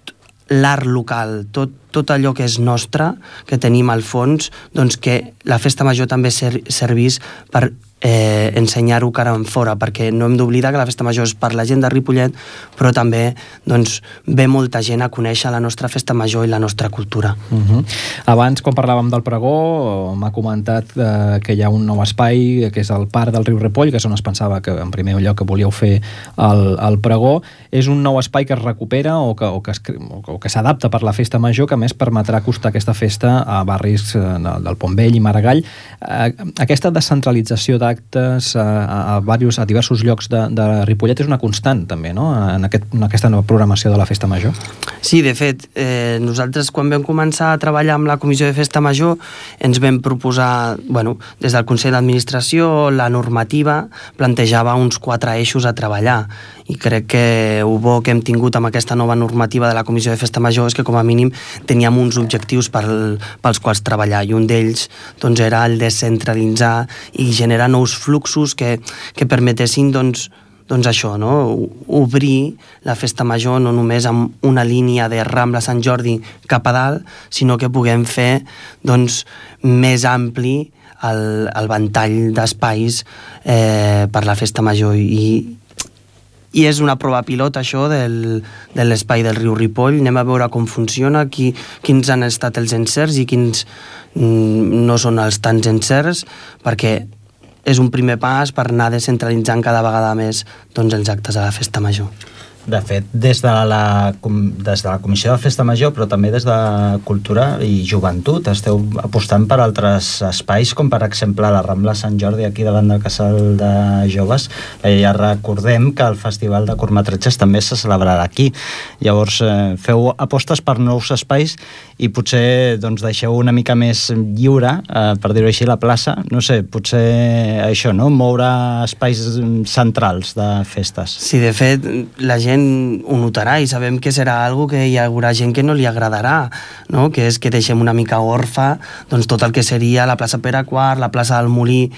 [SPEAKER 12] l'art local, tot allò que és nostre, que tenim al fons, doncs que la festa major també servís per ensenyar-ho cara en fora, perquè no hem d'oblidar que la festa major és per la gent de Ripollet, però també doncs, ve molta gent a conèixer la nostra festa major i la nostra cultura.
[SPEAKER 2] Abans, quan parlàvem del pregó, m'ha comentat que hi ha un nou espai, que és el Parc del Riu Ripoll, que és on es pensava que en primer lloc que volíeu fer el pregó. És un nou espai que es recupera o que s'adapta per la festa major, que a més permetrà acostar aquesta festa a barris del Pont Vell i Maragall. Aquesta descentralització d'actes a diversos llocs de Ripollet és una constant també, no?, en aquesta nova programació de la festa major.
[SPEAKER 12] Sí, de fet, nosaltres quan vam començar a treballar amb la Comissió de Festa Major ens vam proposar, des del Consell d'Administració, la normativa plantejava uns 4 eixos a treballar, i crec que el bo que hem tingut amb aquesta nova normativa de la Comissió de Festa Major és que com a mínim teníem uns objectius pels quals treballar, i un d'ells doncs, era el descentralitzar i generar nous fluxos que permetessin doncs això, no? Obrir la festa major no només amb una línia de Rambla Sant Jordi cap a dalt, sinó que puguem fer doncs, més ampli el ventall d'espais per la festa major, i és una prova pilot això de l'espai del riu Ripoll. Anem a veure com funciona, quins han estat els encerts i quins no són els tants encerts, perquè és un primer pas per anar descentralitzant cada vegada més doncs, els actes a la festa major.
[SPEAKER 4] De fet, des de la Comissió de Festa Major, però també des de Cultura i Joventut, esteu apostant per altres espais, com per exemple la Rambla Sant Jordi, aquí davant del Casal de Joves. Ja recordem que el Festival de Curtmetratges també se celebrarà aquí. Llavors, feu apostes per nous espais i potser doncs, deixeu una mica més lliure, per dir-ho així, la plaça. No sé, potser això, no? Moure espais centrals de festes.
[SPEAKER 12] Sí, de fet, la gent ho notarà i sabem que serà algo que hi haurà gent que no li agradarà, no? Que és que deixem una mica orfa doncs, tot el que seria la plaça Pere IV, la plaça del Molí.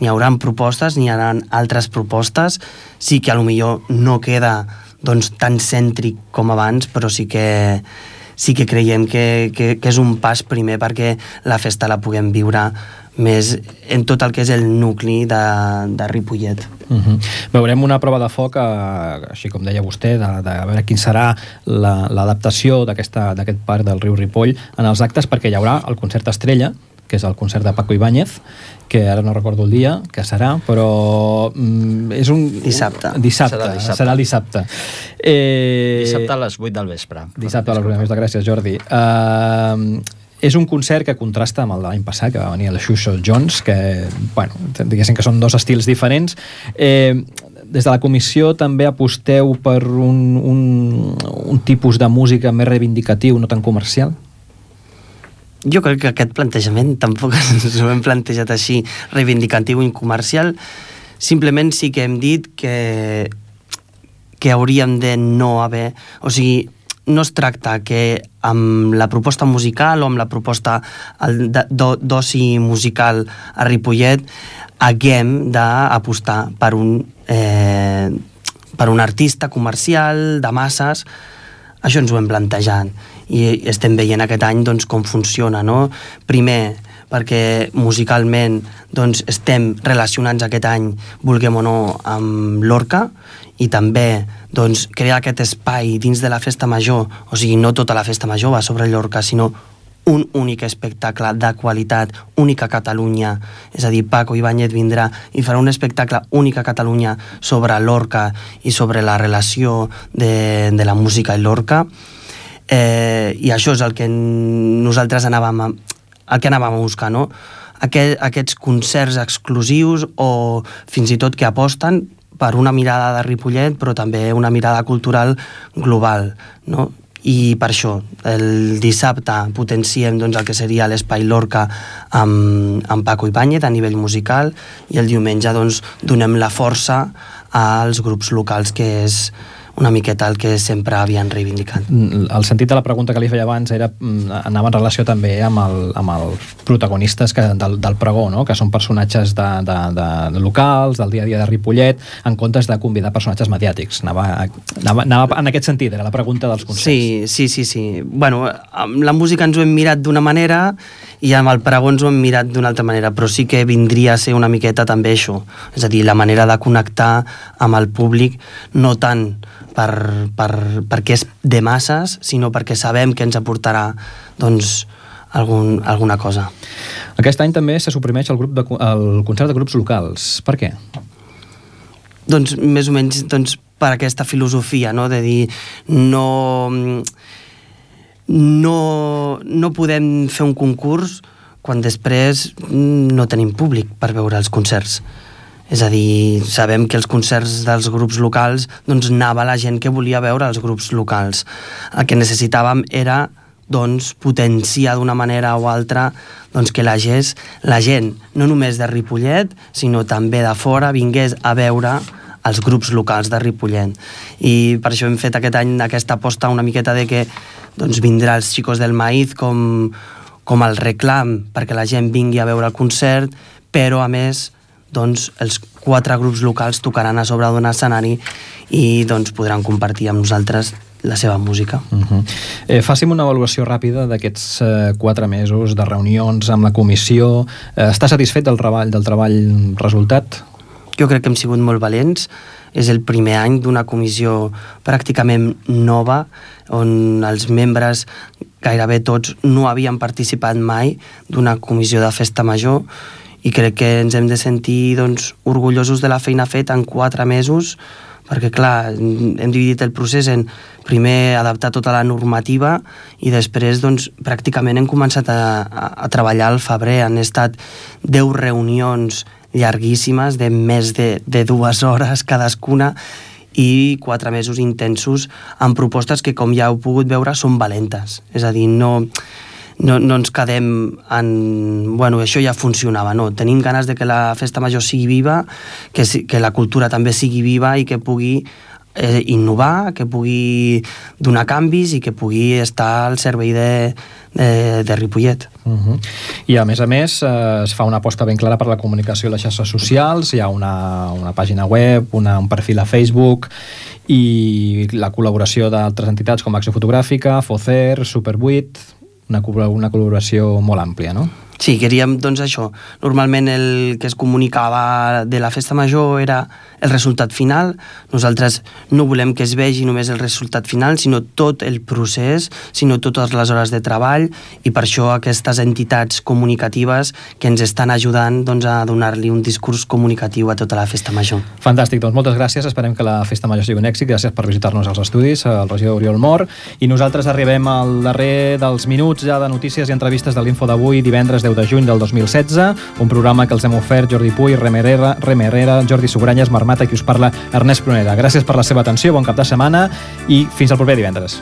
[SPEAKER 12] N'hi haurà propostes, n'hi haurà altres propostes. Sí que potser no queda doncs, tan cèntric com abans, però sí que creiem que és un pas primer perquè la festa la puguem viure més en tot el que és el nucli de Ripollet.
[SPEAKER 2] Veurem una prova de foc, així com deia vostè, de veure quin serà l'adaptació d'aquest parc del riu Ripoll en els actes, perquè hi haurà el concert estrella, que és el concert de Paco Ibáñez, que ara no recordo el dia que serà, però és un...
[SPEAKER 12] Dissabte.
[SPEAKER 2] Serà dissabte.
[SPEAKER 4] Dissabte a les 8 del vespre.
[SPEAKER 2] Dissabte a les 8 del vespre, gràcies, Jordi. És un concert que contrasta amb el de l'any passat, que va venir el Xuxo Jones, que, diguéssim que són dos estils diferents. Des de la comissió també aposteu per un tipus de música més reivindicatiu, no tan comercial?
[SPEAKER 12] Jo crec que aquest plantejament tampoc ens ho hem plantejat així, reivindicatiu i comercial. Simplement sí que hem dit que hauríem de no haver... O sigui, no es tracta que amb la proposta musical o amb la proposta d'oci musical a Ripollet haguem d'apostar per un artista comercial de masses. Això ens ho hem plantejat i estem veient aquest any doncs, com funciona, no? Primer, perquè musicalment doncs, estem relacionats aquest any, vulguem o no, amb l'Orca, i també doncs, crear aquest espai dins de la festa major, o sigui, no tota la festa major va sobre l'Orca, sinó un únic espectacle de qualitat, únic a Catalunya, és a dir, Paco Ibáñez vindrà i farà un espectacle únic a Catalunya sobre l'Orca i sobre la relació de la música i l'Orca, i això és el que nosaltres anàvem a buscar, no? Aquests concerts exclusius o fins i tot que aposten per una mirada de Ripollet, però també una mirada cultural global, no? I per això, el dissabte potenciem doncs, el que seria l'Espai Lorca amb Paco Ibáñez a nivell musical, i el diumenge doncs, donem la força als grups locals, que és una miqueta el que sempre havien reivindicat.
[SPEAKER 2] El sentit de la pregunta que li feia abans anava en relació també amb els protagonistes del pregó, no? Que són personatges de locals, del dia a dia de Ripollet, en comptes de convidar personatges mediàtics. Anava en aquest sentit, era la pregunta dels concerts.
[SPEAKER 12] Sí. Bueno, amb la música ens ho hem mirat d'una manera i amb el pregó ens ho hem mirat d'una altra manera, però sí que vindria a ser una miqueta també això, és a dir, la manera de connectar amb el públic, no tant perquè és de masses, sinó perquè sabem que ens aportarà doncs, alguna cosa.
[SPEAKER 2] Aquest any també se suprimeix el concert de grups locals. Per què?
[SPEAKER 12] Doncs més o menys per aquesta filosofia, no? De dir no podem fer un concurs quan després no tenim públic per veure els concerts. És a dir, sabem que els concerts dels grups locals doncs anava la gent que volia veure els grups locals. El que necessitàvem era potenciar d'una manera o altra que la gent, no només de Ripollet, sinó també de fora, vingués a veure els grups locals de Ripollet. I per això hem fet aquest any aquesta aposta una miqueta de que vindrà els Chicos del Maíz com el reclam perquè la gent vingui a veure el concert, però a més els 4 grups locals tocaran a sobre d'un escenari i podran compartir amb nosaltres la seva música.
[SPEAKER 2] Fàcim una avaluació ràpida d'aquests 4 mesos de reunions amb la comissió. Està satisfet del treball resultat?
[SPEAKER 12] Jo crec que hem sigut molt valents. És el primer any d'una comissió pràcticament nova, on els membres, gairebé tots, no havien participat mai d'una comissió de festa major, i crec que ens hem de sentir orgullosos de la feina feta en 4 mesos, perquè clar, hem dividit el procés en primer adaptar tota la normativa i després pràcticament hem començat a treballar al febrer. Han estat 10 reunions llarguíssimes de més de 2 hores cadascuna i 4 mesos intensos amb propostes que, com ja heu pogut veure, són valentes. És a dir, no ens quedem en... Bueno, això ja funcionava, no. Tenim ganes de que la festa major sigui viva, que la cultura també sigui viva i que pugui innovar, que pugui donar canvis i que pugui estar al servei de Ripollet.
[SPEAKER 2] I a més es fa una aposta ben clara per la comunicació a les xarxes socials. Hi ha una pàgina web, un perfil a Facebook i la col·laboració d'altres entitats com Acció Fotogràfica, FOCER, Super 8, una col·laboració molt àmplia, no?
[SPEAKER 12] Sí, queríem, això. Normalment el que es comunicava de la festa major era el resultat final. Nosaltres no volem que es vegi només el resultat final, sinó tot el procés, sinó totes les hores de treball, i per això aquestes entitats comunicatives que ens estan ajudant a donar-li un discurs comunicatiu a tota la festa major.
[SPEAKER 2] Fantàstic, doncs moltes gràcies. Esperem que la festa major sigui un èxit. Gràcies per visitar-nos als estudis, el regidor Oriol Mor. I nosaltres arribem al darrer dels minuts ja de notícies i entrevistes de l'Info d'avui, divendres 10 de juny del 2016, un programa que els hem ofert Jordi Puy, Rem Herrera, Jordi Sugranyes, Marmata i qui us parla, Ernest Prunera. Gràcies per la seva atenció, bon cap de setmana i fins al proper divendres.